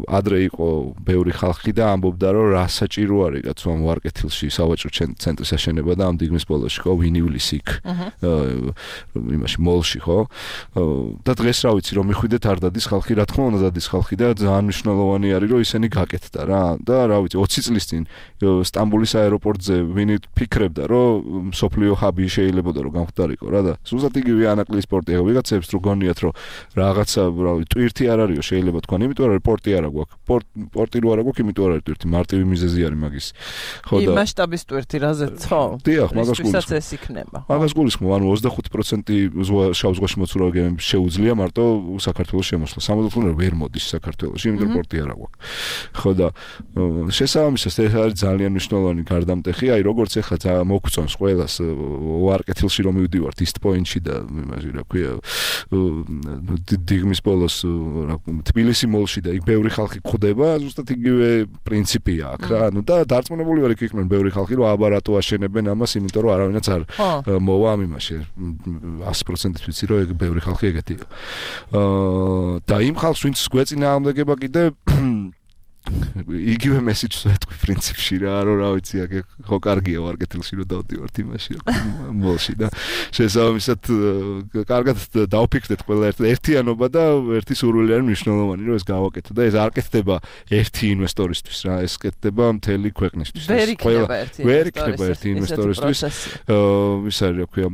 ადრე იყო ბევრი ხალხი და ამბობდა რომ რა საჭირო არის კაცო ამ ვარკეთილში სავაჭრო ცენტრის აშენება და ამ დიგმის პოლოში ხო ვინიulis იქ. იმაში მოლში ხო? და დღეს რა ვიცი რომ მიხვიდეთ არ დადის ხალხი, რა თქმა უნდა დადის ხალხი და ძალიან მნიშვნელოვანი არის რომ ისინი გაკეთდა რა. და რა ვიცი ოცი წლის წინ სტამბოლის აეროპორტზე ვინი ფიქრებდა რომ მსოფლიო ჰაბი შეიძლება და რომ გამختارიყო რა და სულსაც იგივე ანაკლის სპორტია ვიღაცებს რო გონიათ რომ რაღაცა რავი ტვირთი არ არისო შეიძლება თქვა იმიტომ რომ პორტი არა გვაქვს პორტი რო არა გვაქვს იმიტომ არ არის ტვირთი მარტივი მიზეზი არის მაგის ხო და იმ მასშტაბის ტვირთი რაზეც ხო დიახ მაგას გულისხმობ ეს იქნება მაგას გულისხმობ ანუ ოცდახუთი პროცენტი შავ ზღვაში მოცურავი გემები შეუძლია მარტო საქართველოს შემოსვლა სამოთხოვნე ვერ მოდის საქართველოში იმიტომ რომ პორტი არ აქვს ხო და შესაბამისად ეს არის ძალიან მნიშვნელოვანი გარდამტეხი აი როგორც ეხლა მოგწონს ყველას ვარკეთილში რომ მივდივართ East Point-ში და იმაში რა ქვია დიგმის ბოლოს თბილისი მოლში და იქ ბევრი ხალხი გვხვდება ზუსტად იგივე პრინციპია აქ რა ანუ და დარწმუნებული ვარ იქ იყვნენ ბევრი ხალხი რომ აბარატო აშენებენ ამას იმიტომ რომ არავინაც არ მოვა ამ იმაში ათი პროცენტით ვიცი რომ ეგ ბევრი ხალხი ეგეთია და იმ ხალხს ვინც გვეწინააღმდეგება კიდე იგივე მესიჯს ვეთქვი პრინციპში რა რომ რა ვიცი აქ ხო კარგია ვარკეთილში რომ დავდივართ იმაში მოლში და შესაბამისად კარგად დავფიქრდეთ ყველა ერთიანობა და ერთი სურვილი არის მნიშვნელოვანი რომ ეს გავაკეთო და ეს არ კეთდება ერთი ინვესტორისთვის რა ეს კეთდება მთელი ქვეყნისთვის ვერ იქნება ერთი ინვესტორისთვის ის არის რა ქვია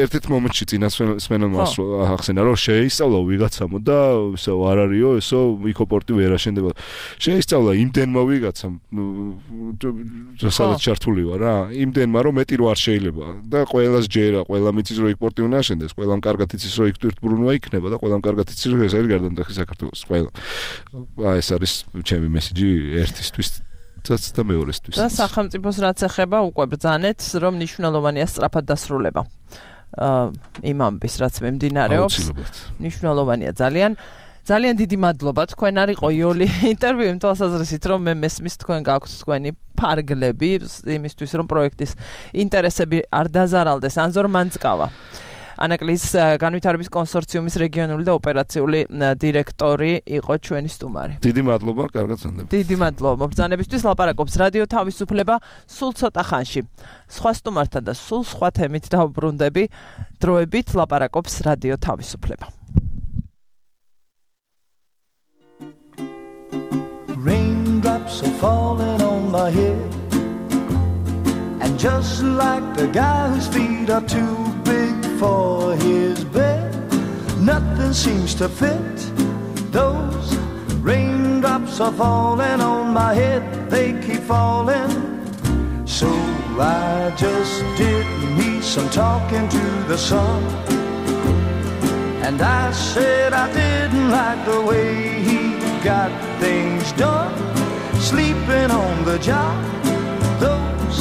ერთ-ერთ მომენტში წინა სმენელმა ახსენა რომ შეისწავლა ვიღაცამო და ისო არ არისო ესო იკოპორტი ვერ აშენდება შეისწავლა იმდენმა ვიღაცამ სადაც ჩართული ვარ რა იმდენმა რომ მეტი რო არ შეიძლება და ყველას ჯერა ყველა მიწის რო ეკპორტი უნდა აშენდეს ყველამ კარგად იცის რომ იქ ტვირთბრუნვა იქნება და ყველამ კარგად იცის რომ ეს არის გარდამტეხი საქართველოს ყველა აი ეს არის ჩემი მესიჯი ერთისთვის და მეორესთვის და სახელმწიფოს რაც ეხება უკვე ბრძანეთ რომ მნიშვნელოვანია სწრაფად დასრულება იმ ამბის რაც მიმდინარეობს მნიშვნელოვანია ძალიან ძალიან დიდი მადლობა თქვენ არ იყო იოლი ინტერვიუ იმ თვალსაზრისით რომ მე მესმის თქვენ გაქვთ თქვენი ფარგლები იმისთვის რომ პროექტის ინტერესები არ დაზარალდეს ანზორ მანძკავა ანაკლის განვითარების კონსორციუმის რეგიონული და ოპერაციული დირექტორი იყო ჩვენი სტუმარი დიდი მადლობა კარგად გრძნობა დიდი მადლობა მობრძანებისთვის ლაპარაკობს რადიო თავისუფლება სულ ცოტა ხანში სხვა სტუმართან და სულ სხვა თემით დავბრუნდები დროებით ლაპარაკობს რადიო თავისუფლება Raindrops are falling on my head And just like the guy whose feet are too big for his bed Nothing seems to fit Those raindrops are falling on my head They keep falling So I just did me some talking to the sun And I said I didn't like the way he got things done Sleeping on the job Those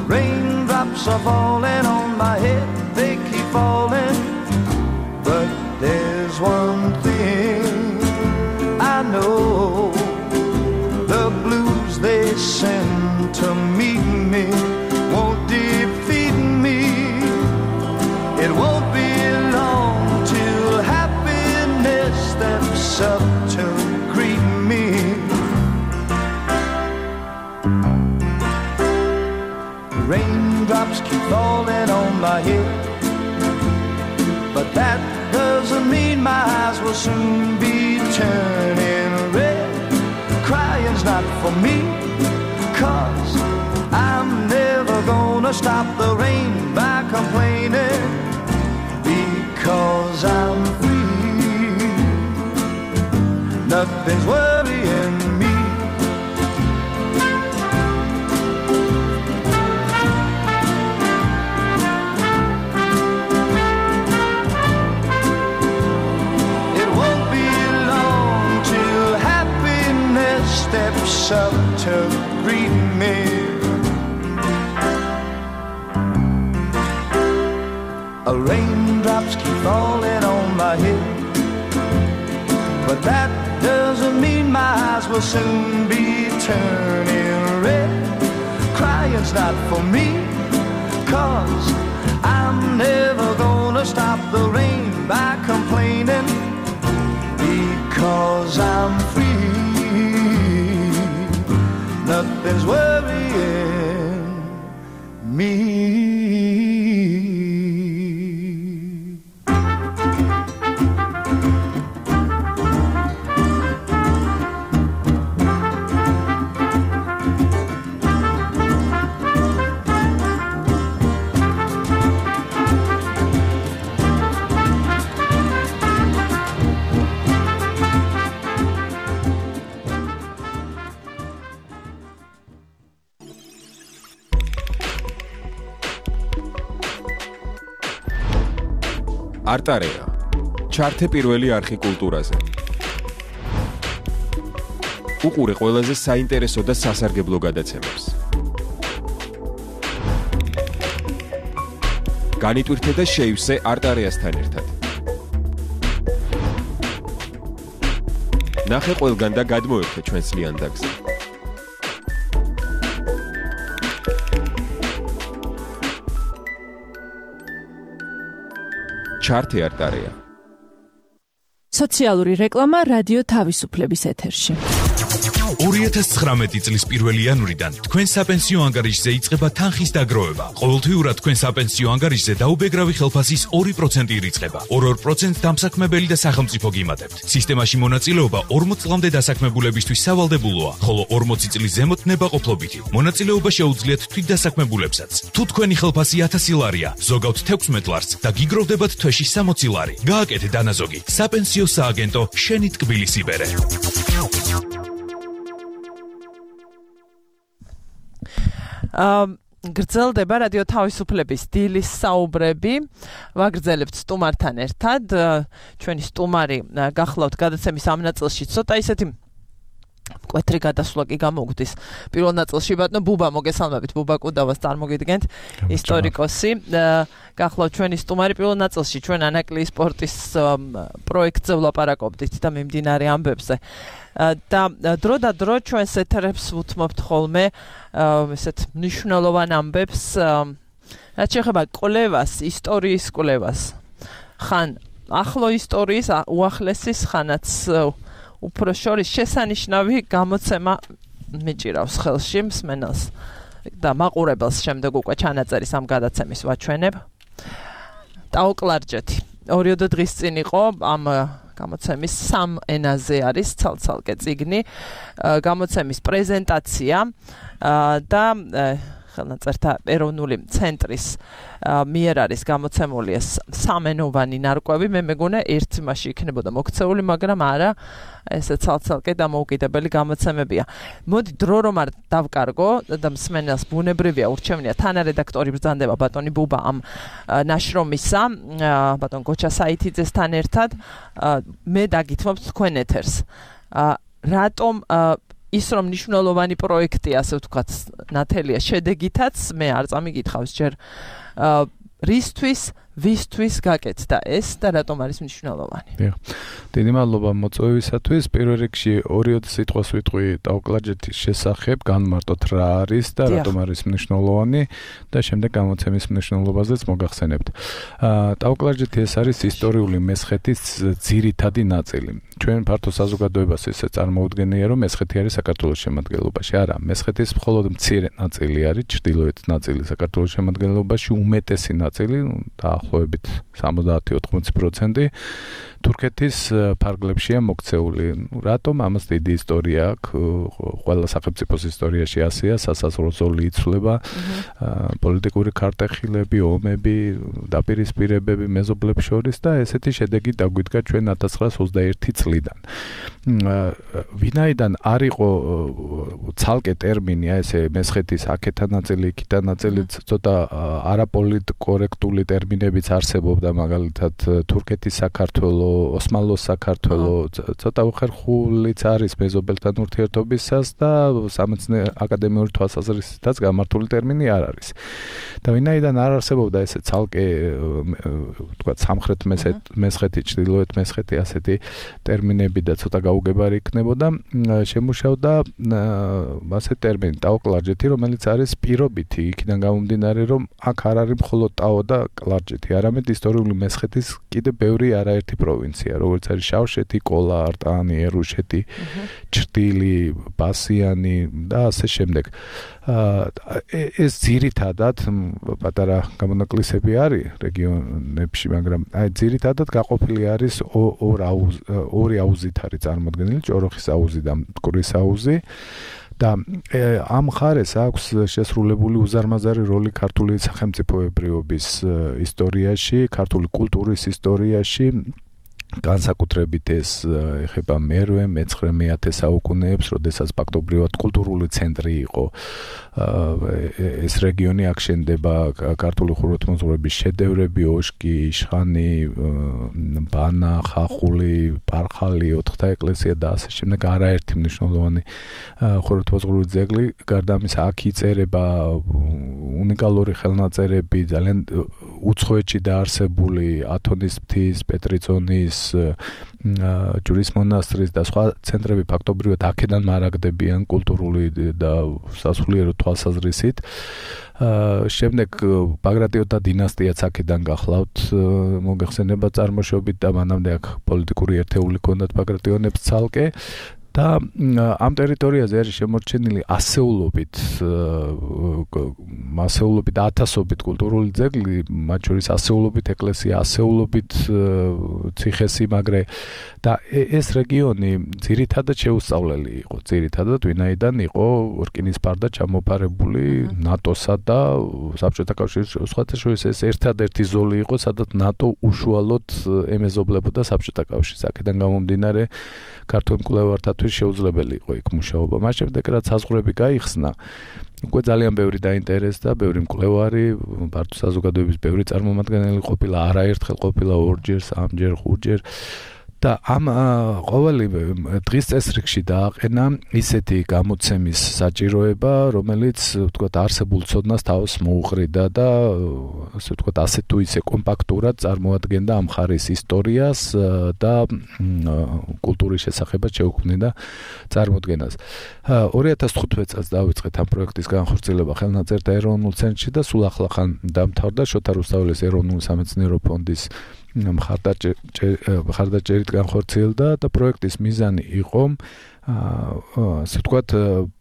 raindrops are falling on my head They keep falling But there's one thing I know The blues they send to meet me Won't defeat me It won't be long till happiness steps up to greet me Raindrops keep falling on my head But that doesn't mean my eyes will soon be turning red Crying's not for me Cause I'm never gonna stop the rain by complaining Because I'm free Nothing's worrying me It won't be long till happiness steps up to greet me Raindrops keep falling on my head But that doesn't mean my eyes will soon be turning red Crying's not for me Cause I'm never gonna stop the rain by complaining Because I'm free Nothing's worrying me არტარეა. ჩართე პირველი არხი კულტურაზე. უყურე ყველაზე საინტერესო და სასარგებლო გადაცემებს. განიტვირთე და შეივსე არტარეასთან ერთად. ნახე ყველგან და გადმოერთე ჩვენს ლიანდაგზე. ჩართე არტარეა. სოციალური რეკლამა რადიო თავისუფლების ეთერში. ორი ათას ცხრამეტი წლის პირველი იანვრიდან თქვენ საპენსიო ანგარიშზე იწყება თანხის დაგროვება. ყოველთვიურად თქვენ საპენსიო ანგარიშზე დაუბეგრავი ხელფასის ორი პროცენტი ირიცხება. ორ-ორ პროცენტს დამსაქმებელი და სახელმწიფო გიმატებთ. სისტემაში მონაწილეობა ორმოც წლამდე დასაქმებულებისთვის სავალდებულოა, ხოლო ორმოცი წლის ზემოთ ნებაყოფლობითი. მონაწილეობა შეუძლიათ თვითდასაქმებულებსაც. თუ თქვენი ხელფასი ათასი ლარია, ზოგავთ თექვსმეტ ლარს და გიგროვდებათ თვეში სამოცი ლარი. გააკეთე დანაზოგი. საპენსიო სააგენტო შენი ტკბილის იბერე. Um, გრძელდება რადიო თავისუფლების დილის საუბრები. ვაგრძელებთ სტუმართან ერთად. ჩვენი სტუმარი გახლავთ გადაცემის ამ ნაწილში ცოტა ისეთი მკვეთრი გადასვლა კი გამოგვდის. პირველ ნაწილში ბატონო ბუბა მოგესალმებით, ბუბა კუდავას წარმოგიდგენთ, ისტორიკოსი. გახლავთ ჩვენი სტუმარი პირველ ნაწილში ჩვენ ანაკლიის სპორტის პროექტზე ვლაპარაკობდით და მიმდინარე ამბებზე. და დრო და დრო ჩვენს ეთერებს ვუთმობთ ხოლმე ესეთ მნიშვნელოვან ამბებს, რაც შეეხება კვლევას, ისტორიის კვლევას. ხან ახლო ისტორიის, უახლესის, ხანაც უფრო შორის შესანიშნავი გამოცემა მიჭირავს ხელში მსმენელს და მაყურებელს. შემდეგ უკვე ჩანაწერის ამ გადაცემის ვაჩვენებ. ტაოკლარჯეთი ორიოდე დღის წინ იყო ამ გამოცემის სამ ენაზე არის ცალ-ცალკე წიგნი, გამოცემის პრეზენტაცია და ხელნაწერთა ეროვნული ცენტრის მიერ არის გამოცემული ეს სამენოვანი ნარკვევი. მე მეგონა ერთ იმაში იქნებოდა მოქცეული, მაგრამ არა, ესე ცალ-ცალკე დამოუკიდებელი გამოცემებია. მოდი დრო რომ არ დავკარგო და მსმენელს ბუნებრივია ურჩევნია თანარედაქტორი ბრძანდება ბატონი ბუბა ამ ნაშრომისა, ბატონ გოჩა საითიძესთან ერთად. მე დაგითმობთ თქვენ ეთერს. რატომ ის რომ მნიშვნელოვანი პროექტი, ასე ვთქვათ, ნათელია შედეგითაც, მე არ წამიგითხავს ჯერ რისთვის, ვისთვის გაკეთდა ეს და რატომ არის მნიშვნელოვანი. დიახ. დიდი მადლობა მოწვევისათვის. პირველ რიგში ორიოდე სიტყვას ვიტყვი ტაოკლარჯეთის შესახებ, განმარტოთ რა არის და რატომ არის მნიშვნელოვანი და შემდეგ გამოცემის მნიშვნელობაზეც მოგახსენებთ. ტაოკლარჯეთი ეს არის ისტორიული მესხეთის ძირითადი ნაწილი. ჩვენ ფართო საზოგადოებას ესე წარმოუდგენია, რომ მესხეთი არის საქართველოს შემადგენლობაში. არა, მესხეთის მხოლოდ მცირე ნაწილი არის, ჩრდილოეთ ნაწილი საქართველოს შემადგენლობაში, უმეტესი ნაწილი დაახლოებით სამოცდაათი ოთხმოცი პროცენტი თურქეთის ფარგლებშია მოქცეული. რატომ? ამას დიდი ისტორია აქვს. ყველა სახელმწიფოს ისტორიაში ასეა, სასაზღვრო ზოლი იცვლება, პოლიტიკური ქარტეხილები, ომები, დაპირისპირებები მეზობლებს შორის და ესეთი შედეგი დაგვიდგა ჩვენ ათას ცხრაას ოცდაერთი წლიდან. ვინაიდან არ იყო ცალკე ტერმინი, ესე მესხეთის აქეთა ნაწილი, იქითა ნაწილი, ცოტა არაპოლიტკორექტული ტერმინებიც არსებობდა, მაგალითად თურქეთის საქართველო, ოსმალოს საქართველო, ცოტა უხერხულიც არის მეზობელთან ურთიერთობისას და სამეცნიერო აკადემიური თვალსაზრისითაც გამართული ტერმინი არ არის. და ვინაიდან არ არსებობდა ესე ცალკე ვთქვათ სამხრეთ მესხეთი, ჩრდილოეთ მესხეთი ასეთი ტერმინები და ცოტა გაუგებარი იქნებოდა, შემუშავდა ასე ტერმინი ტაოკლარჯეთი, რომელიც არის პირობითი, იქიდან გამომდინარე, რომ აქ არ არის მხოლოდ ტაო და კლარჯეთი, არამედ ისტორიული მესხეთის კიდე ბევრი არაერთი პროვინცია, როგორც არის შავშეთი, კოლა, არტანი, ერუშეთი, ჩრდილი, ბასიანი და ასე შემდეგ. ეს ძირითადად პატარა გამონაკლისები არის რეგიონებში, მაგრამ აი ძირითადად გაყოფილი არის ორი აუზით არის წარმოდგენილი, ჭოროხის აუზი და მტკვრის აუზი. და ამ მხარეს აქვს შესრულებული უზარმაზარი როლი ქართული სახელმწიფოებრიობის ისტორიაში, ქართული კულტურის ისტორიაში განსაკუთრებით ეს ეხება მერვე, მეცხრე, მეათე საუკუნეებს, როდესაც ფაქტობრივად კულტურული ცენტრი იყო ეს რეგიონი, აქ შენდება ქართული ხუროთმოძღვრების შედევრები, ოშკი, იშხანი, ბანა, ხახული, პარხალი, ოთხთა ეკლესია და ასე შემდეგ, არაერთი მნიშვნელოვანი ხუროთმოძღვრული ძეგლი. გარდა ამისა, აქ იწერება უნიკალური ხელნაწერები, ძალიან უცხოეთში დაარსებული ათონის მთის, პეტრიწონის, ჯვრის მონასტრის და სხვა ცენტრები ფაქტობრივად აქედან მარაგდებიან კულტურული და სასულიერო თვალსაზრისით. შემდეგ ბაგრატიონთა დინასტიაც აქედან გახლავთ მოგეხსენება წარმოშობით და მანამდე აქ პოლიტიკური ერთეული ჰქონდათ ბაგრატიონებს ცალკე. და ამ ტერიტორიაზე არის შემორჩენილი ასეულობით მასეულობით ათასობით კულტურული ძეგლი, მათ შორის ასეულობით ეკლესია, ასეულობით ციხესიმაგრე და ეს რეგიონი ძირითადად შეუსწავლელი იყო, ძირითადად ვინაიდან იყო რკინის ფარდა ჩამოფარებული ნატოსა და საბჭოთა კავშირის სხვათა შორის ეს ერთადერთი ზოლი იყო, სადაც ნატო უშუალოდ ემეზობლებოდა საბჭოთა კავშირს. აქედან გამომდინარე ქართულ მკვლევართათვის შეუძლებელი იყო იქ მუშაობა. მას შემდეგ რაც საზღვრები გაიხსნა, უკვე ძალიან ბევრი დაინტერესდა, ბევრი მკვლევარი, ფართო საზოგადოების ბევრი წარმომადგენელი ყოფილა, არაერთხელ ყოფილა ორჯერ, სამჯერ, ხუთჯერ და ამ ყოველი დღის წესრიგში დააყენა ისეთი გამოცემის საჭიროება, რომელიც ვთქვათ არსებულ ცოდნას თავს მოუყრიდა და ასე ვთქვათ ასე თუ ისე კომპაქტურად წარმოადგენდა ამ მხარის ისტორიას და კულტურის შესახებაც შეუქმნიდა წარმოდგენას. ორი ათას თხუთმეტ წელს დავიწყეთ ამ პროექტის განხორციელება ხელნაწერთა ეროვნულ ცენტრში და სულ ახლახან დამთავრდა შოთა რუსთაველის ეროვნული სამეცნიერო ფონდის მხარდაჭერით განხორციელდა და პროექტის მიზანი იყო ასე ვთქვათ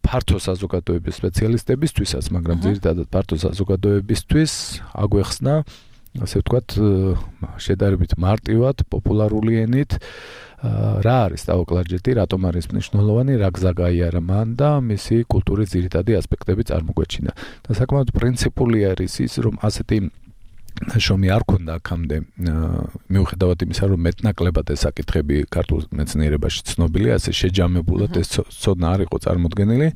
ფართო საზოგადოების სპეციალისტებისთვისაც, მაგრამ ძირითადად ფართო საზოგადოებისთვის აგვეხსნა ასე ვთქვათ შედარებით მარტივად, პოპულარული ენით რა არის ტაო-კლარჯეთი, რატომ არის მნიშვნელოვანი, რა გზა გაიარა მან და მისი კულტურის ძირითადი ასპექტები წარმოგვეჩინა. და საკმაოდ პრინციპული არის ის, რომ ასეთი შომი არ ქონდა აქამდე, მიუხედავად იმისა, რომ მეტნაკლებად ეს საკითხები ქართულ მეცნიერებაში ცნობილია, ასე შეჯამებულად ეს ცოდნა არ იყო წარმოდგენილი,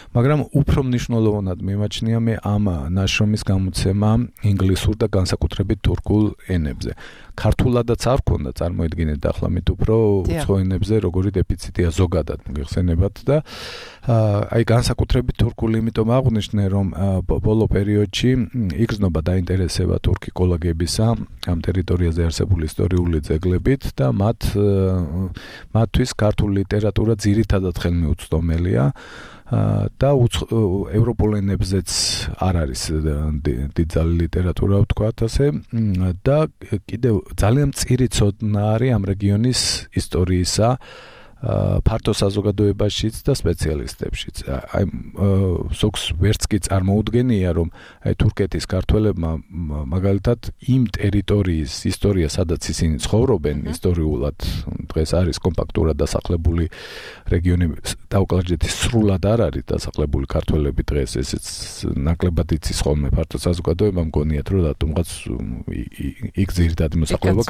მაგრამ უფრო მნიშვნელოვნად მიმაჩნია მე ამ ნაშრომის გამოცემა ინგლისურ და განსაკუთრებით თურქულ ენებზე. ქართულადაც არ ქონდა, წარმოიდგინეთ ახლა მით უფრო უცხო ენებზე როგორი დეფიციტია ზოგადად მოგეხსენებათ და აი განსაკუთრებით თურქული, იმიტომ აღვნიშნე, რომ ბოლო პერიოდში იგრძნობა დაინტერესება თურქი კოლეგებისა ამ ტერიტორიაზე არსებული ისტორიული ძეგლებით და მათ მათთვის ქართული ლიტერატურა ძირითადად ხელმიუწვდომელია და ევროპულ ენებზეც არ არის დიდძალი ლიტერატურა ვთქვათ ასე და კიდევ ძალიან მწირი ცოდნა არის ამ რეგიონის ისტორიისა ფართო საზოგადოებაშიც და სპეციალისტებშიც. აი ზოგს ვერც კი წარმოუდგენია, რომ აი თურქეთის ქართველებმა მაგალითად იმ ტერიტორიის ისტორია, სადაც ისინი ცხოვრობენ, ისტორიულად დღეს არის კომპაქტურად დასახლებული რეგიონი, ტაო-კლარჯეთის სრულად არ არის დასახლებული ქართველები დღეს, ესეც ნაკლებად იცის ხოლმე ფართო საზოგადოება, მგონიათ, რომ რატომღაც იქ ძირითადი მოსახლეობა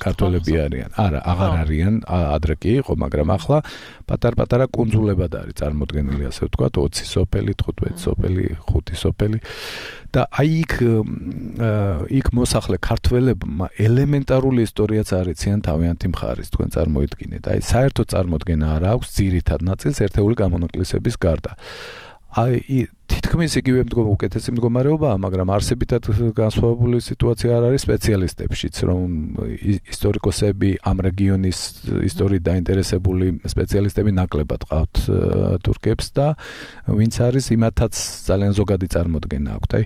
ქართველები არიან. არა, აღარ არიან, ადრე კი იყო, მაგრამ ახლა პატარ-პატარა კუნძულებად არის წარმოდგენილი, ასე ვთქვათ, ოცი სოფელი, თხუთმეტი სოფელი, ხუთი სოფელი და აი იქ იქ მოსახლე ქართველებმა ელემენტარული ისტორიაც არიციან თავიანთი მხარის, თქვენ წარმოიდგინეთ. აი საერთო წარმოდგენა არ აქვს ძირითად ნაწილს ერთეული გამონაკლისების გარდა. აი თითქმის იგივე მდგომა უკეთესი მდგომარეობაა, მაგრამ არსებითად განსხვავებული სიტუაცია არ არის სპეციალისტებშიც, რომ ისტორიკოსები ამ რეგიონის ისტორიით დაინტერესებული სპეციალისტები ნაკლებად ყავთ თურქებს და ვინც არის იმათაც ძალიან ზოგადი წარმოდგენა აქვთ. აი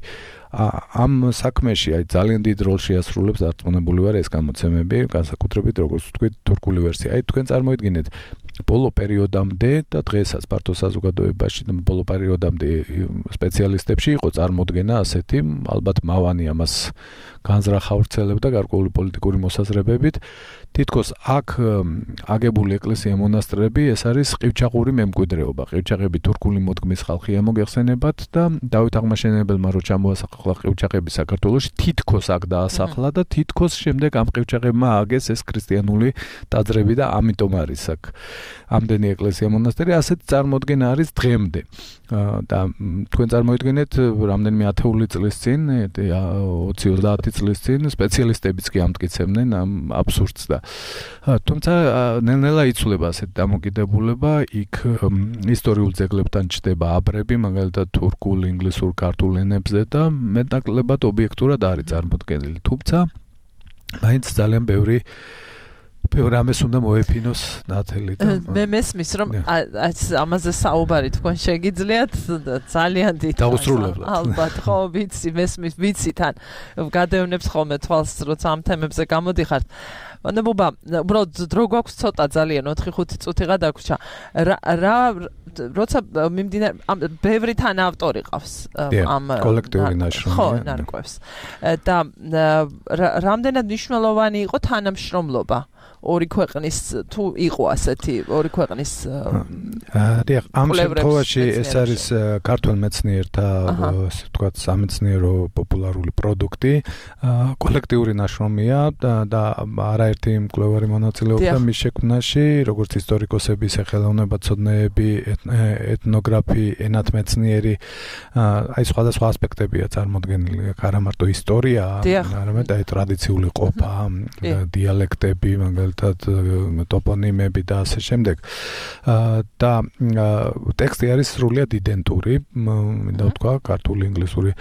ამ საქმეში აი ძალიან დიდ როლს შეასრულებს, დარწმუნებული ვარ, ეს გამოცემები, განსაკუთრებით როგორც ვთქვით, თურქული ვერსია. აი თქვენ წარმოიდგინეთ ბოლო პერიოდამდე და დღესაც ფართო საზოგადოებაში და ბოლო პერიოდამდე სპეციალისტებში იყო წარმოდგენა ასეთი, ალბათ მავანი ამას განზრახავრცელებდა გარკვეული პოლიტიკური მოსაზრებებით. თითქოს აქ აგებული ეკლესია მონასტრები, ეს არის ყივჩაღური მემკვიდრეობა. ყივჩაღები თურქული მოდგმის ხალხია, მოგეხსენებათ და დავით აღმაშენებელმა რო ჩამოასახა დაასახლა ყივჩაღები საქართველოში, თითქოს აქ დაასახლა და თითქოს შემდეგ ამ ყივჩაღებმა ააგეს ეს ქრისტიანული ტაძრები და ამიტომ არის აქ ამდენი ეკლესია მონასტერი, ასეთ წარმოდგენა არის დღემდე. და თქვენ წარმოიდგინეთ რამდენიმე ათეული წლის წინ, ოცი ოცდაათი წლის წინ სპეციალისტებიც კი ამტკიცებდნენ ამ აბსურდს და თუმცა ნელ-ნელა იცვლება ასეთი დამოკიდებულება, იქ ისტორიულ ძეგლებთან ჩდება აბრები, მაგალითად თურქულ, ინგლისურ, ქართულ ენებზე და მეტნაკლებად ობიექტურად არის წარმოდგენილი. თუმცა მაინც ძალიან ბევრი ბევრი ამას უნდა მოეფინოს ნათელი და მე მესმის რომ ამაზე საუბარი თქვენ შეგიძლიათ ძალიან დიდ დაუსრულებლად ალბათ ხო ვიცი მესმის ვიცი თან გადაევნებს ხოლმე თვალს როცა ამ თემებზე გამოდიხართ ნებობა უბრალოდ დრო გვაქვს ცოტა ძალიან ოთხი ხუთი წუთიღა დაგვრჩა რა როცა მიმდინარე ბევრი თან ავტორი ყავს ამ კოლექტიური ნაშრომი ხო ნარკვევს და რამდენად მნიშვნელოვანი იყო თანამშრომლობა ორი ქვეყნის თუ იყო ასეთი ორი ქვეყნის დიახ ამ შემთხვევაში ეს არის ქართულ მეცნიერთა ასე ვთქვათ სამეცნიერო პოპულარული პროდუქტი კოლექტიური ნაშრომია და არაერთი მკვლევარი მონაწილეობდა მის შექმნაში როგორც ისტორიკოსები სახელოვნებაცოდნეები ეთნოგრაფი ენათმეცნიერი აი სხვადასხვა ასპექტებია წარმოდგენილი არა მარტო ისტორია არამედ აი ტრადიციული ყოფა დიალექტები მაგალითად ტოპონიმები და ასე შემდეგ. და ტექსტი არის სრულიად იდენტური, მინდა ვთქვა, ქართული, ინგლისური,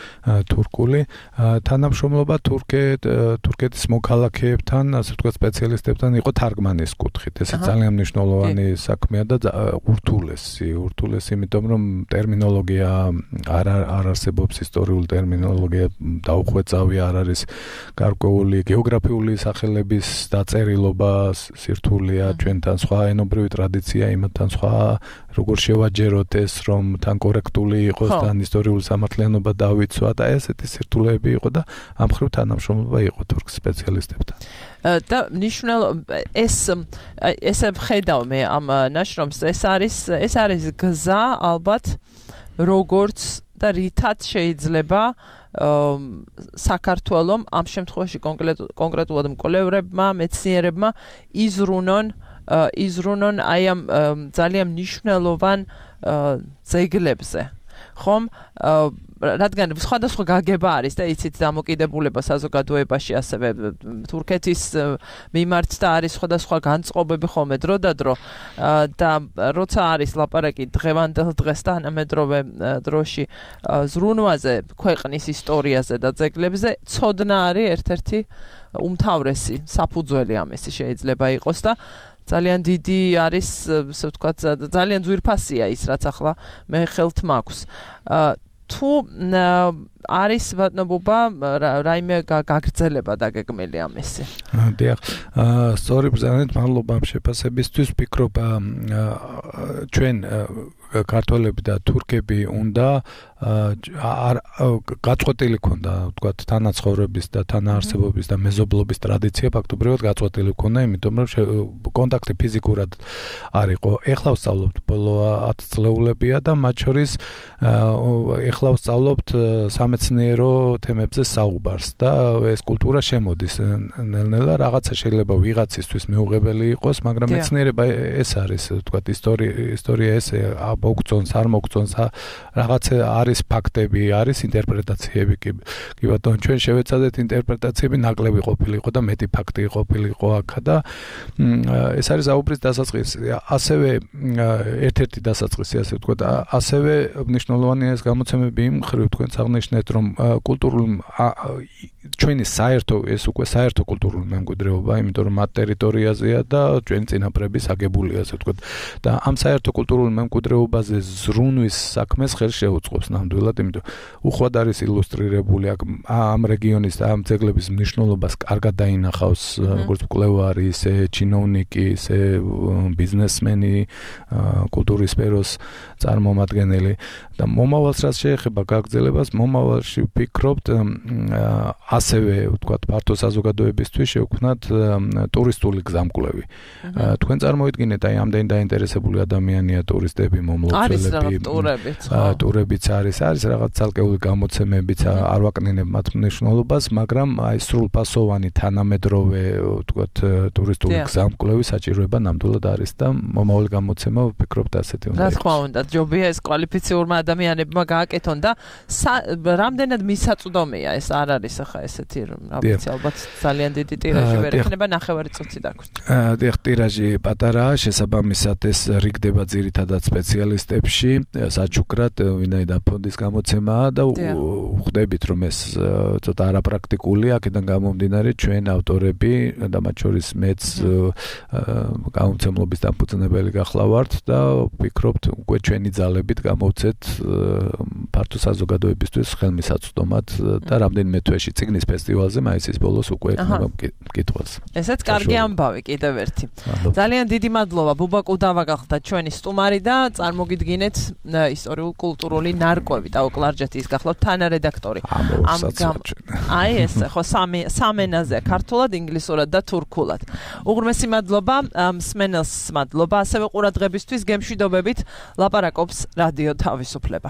თურქული. თანამშრომლობა თურქეთ, თურქეთის მოქალაქეებთან, ასე ვთქვათ, სპეციალისტებთან იყო თარგმანის კუთხით. ეს ძალიან მნიშვნელოვანი საქმეა და ურთულესი, ურთულესი, იმიტომ რომ ტერმინოლოგია არ არ არსებობს, ისტორიული ტერმინოლოგია დაუხვეწავი არ არის გარკვეული გეოგრაფიული სახელების დაწერილობა სირთულეა ჩვენთან სხვა ენობრივი ტრადიცია იმათთან სხვა როგორ შევაჯეროთ ეს რომ თან კორექტული იყოს თან ისტორიული სამართლიანობა დავიცვა და ესეთი სირთულეები იყო და ამ ხრივ თანამშრომლობა იყო თურქ სპეციალისტებთან და ნიშნულ ეს ესე ვხედავ მე ამ ნაშრომს ეს არის ეს არის გზა ალბათ როგორც და რითაც შეიძლება საქართველოს ამ შემთხვევაში კონკრეტულად მკვლევრებმა, მეცნიერებმა იზრუნონ იზრუნონ აი ამ ძალიან მნიშვნელოვან ძეგლებზე. ხომ რადგან სხვადასხვა გაგება არის და იცით დამოკიდებულება საზოგადოებაში ასევე თურქეთის მიმართ და არის სხვადასხვა განწყობები ხოლმე დრო და დრო და როცა არის ლაპარაკი დღევანდელ დღეს და თანამედროვე დროში ზრუნვაზე ქვეყნის ისტორიაზე და ძეგლებზე ცოდნა არის ერთ-ერთი უმთავრესი საფუძველი ამისი შეიძლება იყოს და ძალიან დიდი არის ასე ვთქვათ ძალიან ძვირფასია ის რაც ახლა მე ხელთ მაქვს თუ არის ვატნობობა რაიმე გაგრძელება დაგეგმილი ამისი. დიახ, სწორი ბრძანეთ მადლობა ამ შეფასებისთვის. ვფიქრობ ჩვენ ქართველები და თურქები უნდა გაწყვეტილი ქონდა, ვთქვათ, თანაცხოვრების და თანაარსებობის და მეზობლობის ტრადიცია ფაქტობრივად გაწყვეტილი ქონდა, იმიტომ რომ კონტაქტი ფიზიკურად არ იყო. ეხლა ვსწავლობთ ბოლო ათი წლეულებია და მათ შორის ეხლა ვსწავლობთ სამეცნიერო თემებზე საუბარს და ეს კულტურა შემოდის ნელ-ნელა რაღაცა შეიძლება ვიღაცისთვის მეუღებელი იყოს, მაგრამ მეცნიერება ეს არის, ვთქვათ, ისტორია ისტორია ეს მოგწონს, არ მოგწონს, რაღაცა არის ფაქტები, არის ინტერპრეტაციები კი კი ბატონო, ჩვენ შევეცადეთ ინტერპრეტაციები ნაკლები ყოფილიყო და მეტი ფაქტი ყოფილიყო აქ და ეს არის აუბრის დასაწყისი. ასევე ერთ-ერთი დასაწყისი, ასე ვთქვათ, ასევე მნიშვნელოვანია ეს გამოცემები იმ ხრივ თქვენც აღნიშნეთ, რომ კულტურული ჩვენი საერთო ეს უკვე საერთო კულტურული მემკვიდრეობა, იმიტომ რომ მათ ტერიტორიაზეა და ჩვენი წინაპრების აგებულია, ასე ვთქვათ. და ამ საერთო კულტურული მემკვიდრეობაზე ზრუნვის საქმეს ხელს შეუწყობს ნამდვილად, იმიტომ უხვად არის ილუსტრირებული აქ ამ რეგიონის და ამ ძეგლების მნიშვნელობას კარგად დაინახავს როგორც მკვლევარი, ისე ჩინოვნიკი, ისე ბიზნესმენი, კულტურის სფეროს წარმომადგენელი და მომავალს რაც შეეხება გაგრძელებას, მომავალ ყოველში ვფიქრობთ ასევე ვთქვათ ფართო საზოგადოებისთვის შევქმნათ ტურისტული გზამკვლევი. თქვენ წარმოიდგინეთ აი ამდენი დაინტერესებული ადამიანია ტურისტები, მომლოცველები, ტურებიც არის, არის რაღაც ცალკეული გამოცემებიც, არ ვაკნინებ მათ მნიშვნელობას, მაგრამ აი სრულფასოვანი თანამედროვე ვთქვათ ტურისტული გზამკვლევი საჭიროება ნამდვილად არის და მომავალი გამოცემა ვფიქრობთ ასეთი უნდა იყოს. რა თქმა უნდა, ჯობია ეს კვალიფიციურმა ადამიანებმა გააკეთონ და რამდენად მისაწვდომია ეს არ არის ახლა ესეთი რა ვიცი ალბათ ძალიან დიდი ტირაჟი ვერ ექნება ნახევარი წუთი დაგვჭირდა. დიახ, ტირაჟი პატარაა, შესაბამისად ეს რიგდება ძირითადად სპეციალისტებში, საჩუქრად, ვინაიდან ფონდის გამოცემაა და ვხვდებით რომ ეს ცოტა არაპრაქტიკულია, აქედან გამომდინარე ჩვენ ავტორები და მათ შორის მეც გამომცემლობის დამფუძნებელი გახლავართ და ვფიქრობთ უკვე ჩვენი ძალებით გამოვცეთ ფართო საზოგადოებისთვის ხელმისაწვდომად და რამდენიმე თვეში წიგნის ფესტივალზე მაისის ბოლოს უკვე ექნება მკითხვას. ესეც კარგი ამბავი კიდევ ერთი. ძალიან დიდი მადლობა ბუბა კუდავა გახდა ჩვენი სტუმარი და წარმოგიდგინეთ ისტორიულ კულტურული ნარკვევი და ოკლარჯეთის გახლავთ თანარედაქტორი. ამ აი ეს ხო სამი სამენაზე ქართულად, ინგლისურად და თურქულად. უღრმესი მადლობა მსმენელს მადლობა ასევე ყურადღებისთვის გემშვიდობებით ლაპარაკობს რადიო თავისუფლება.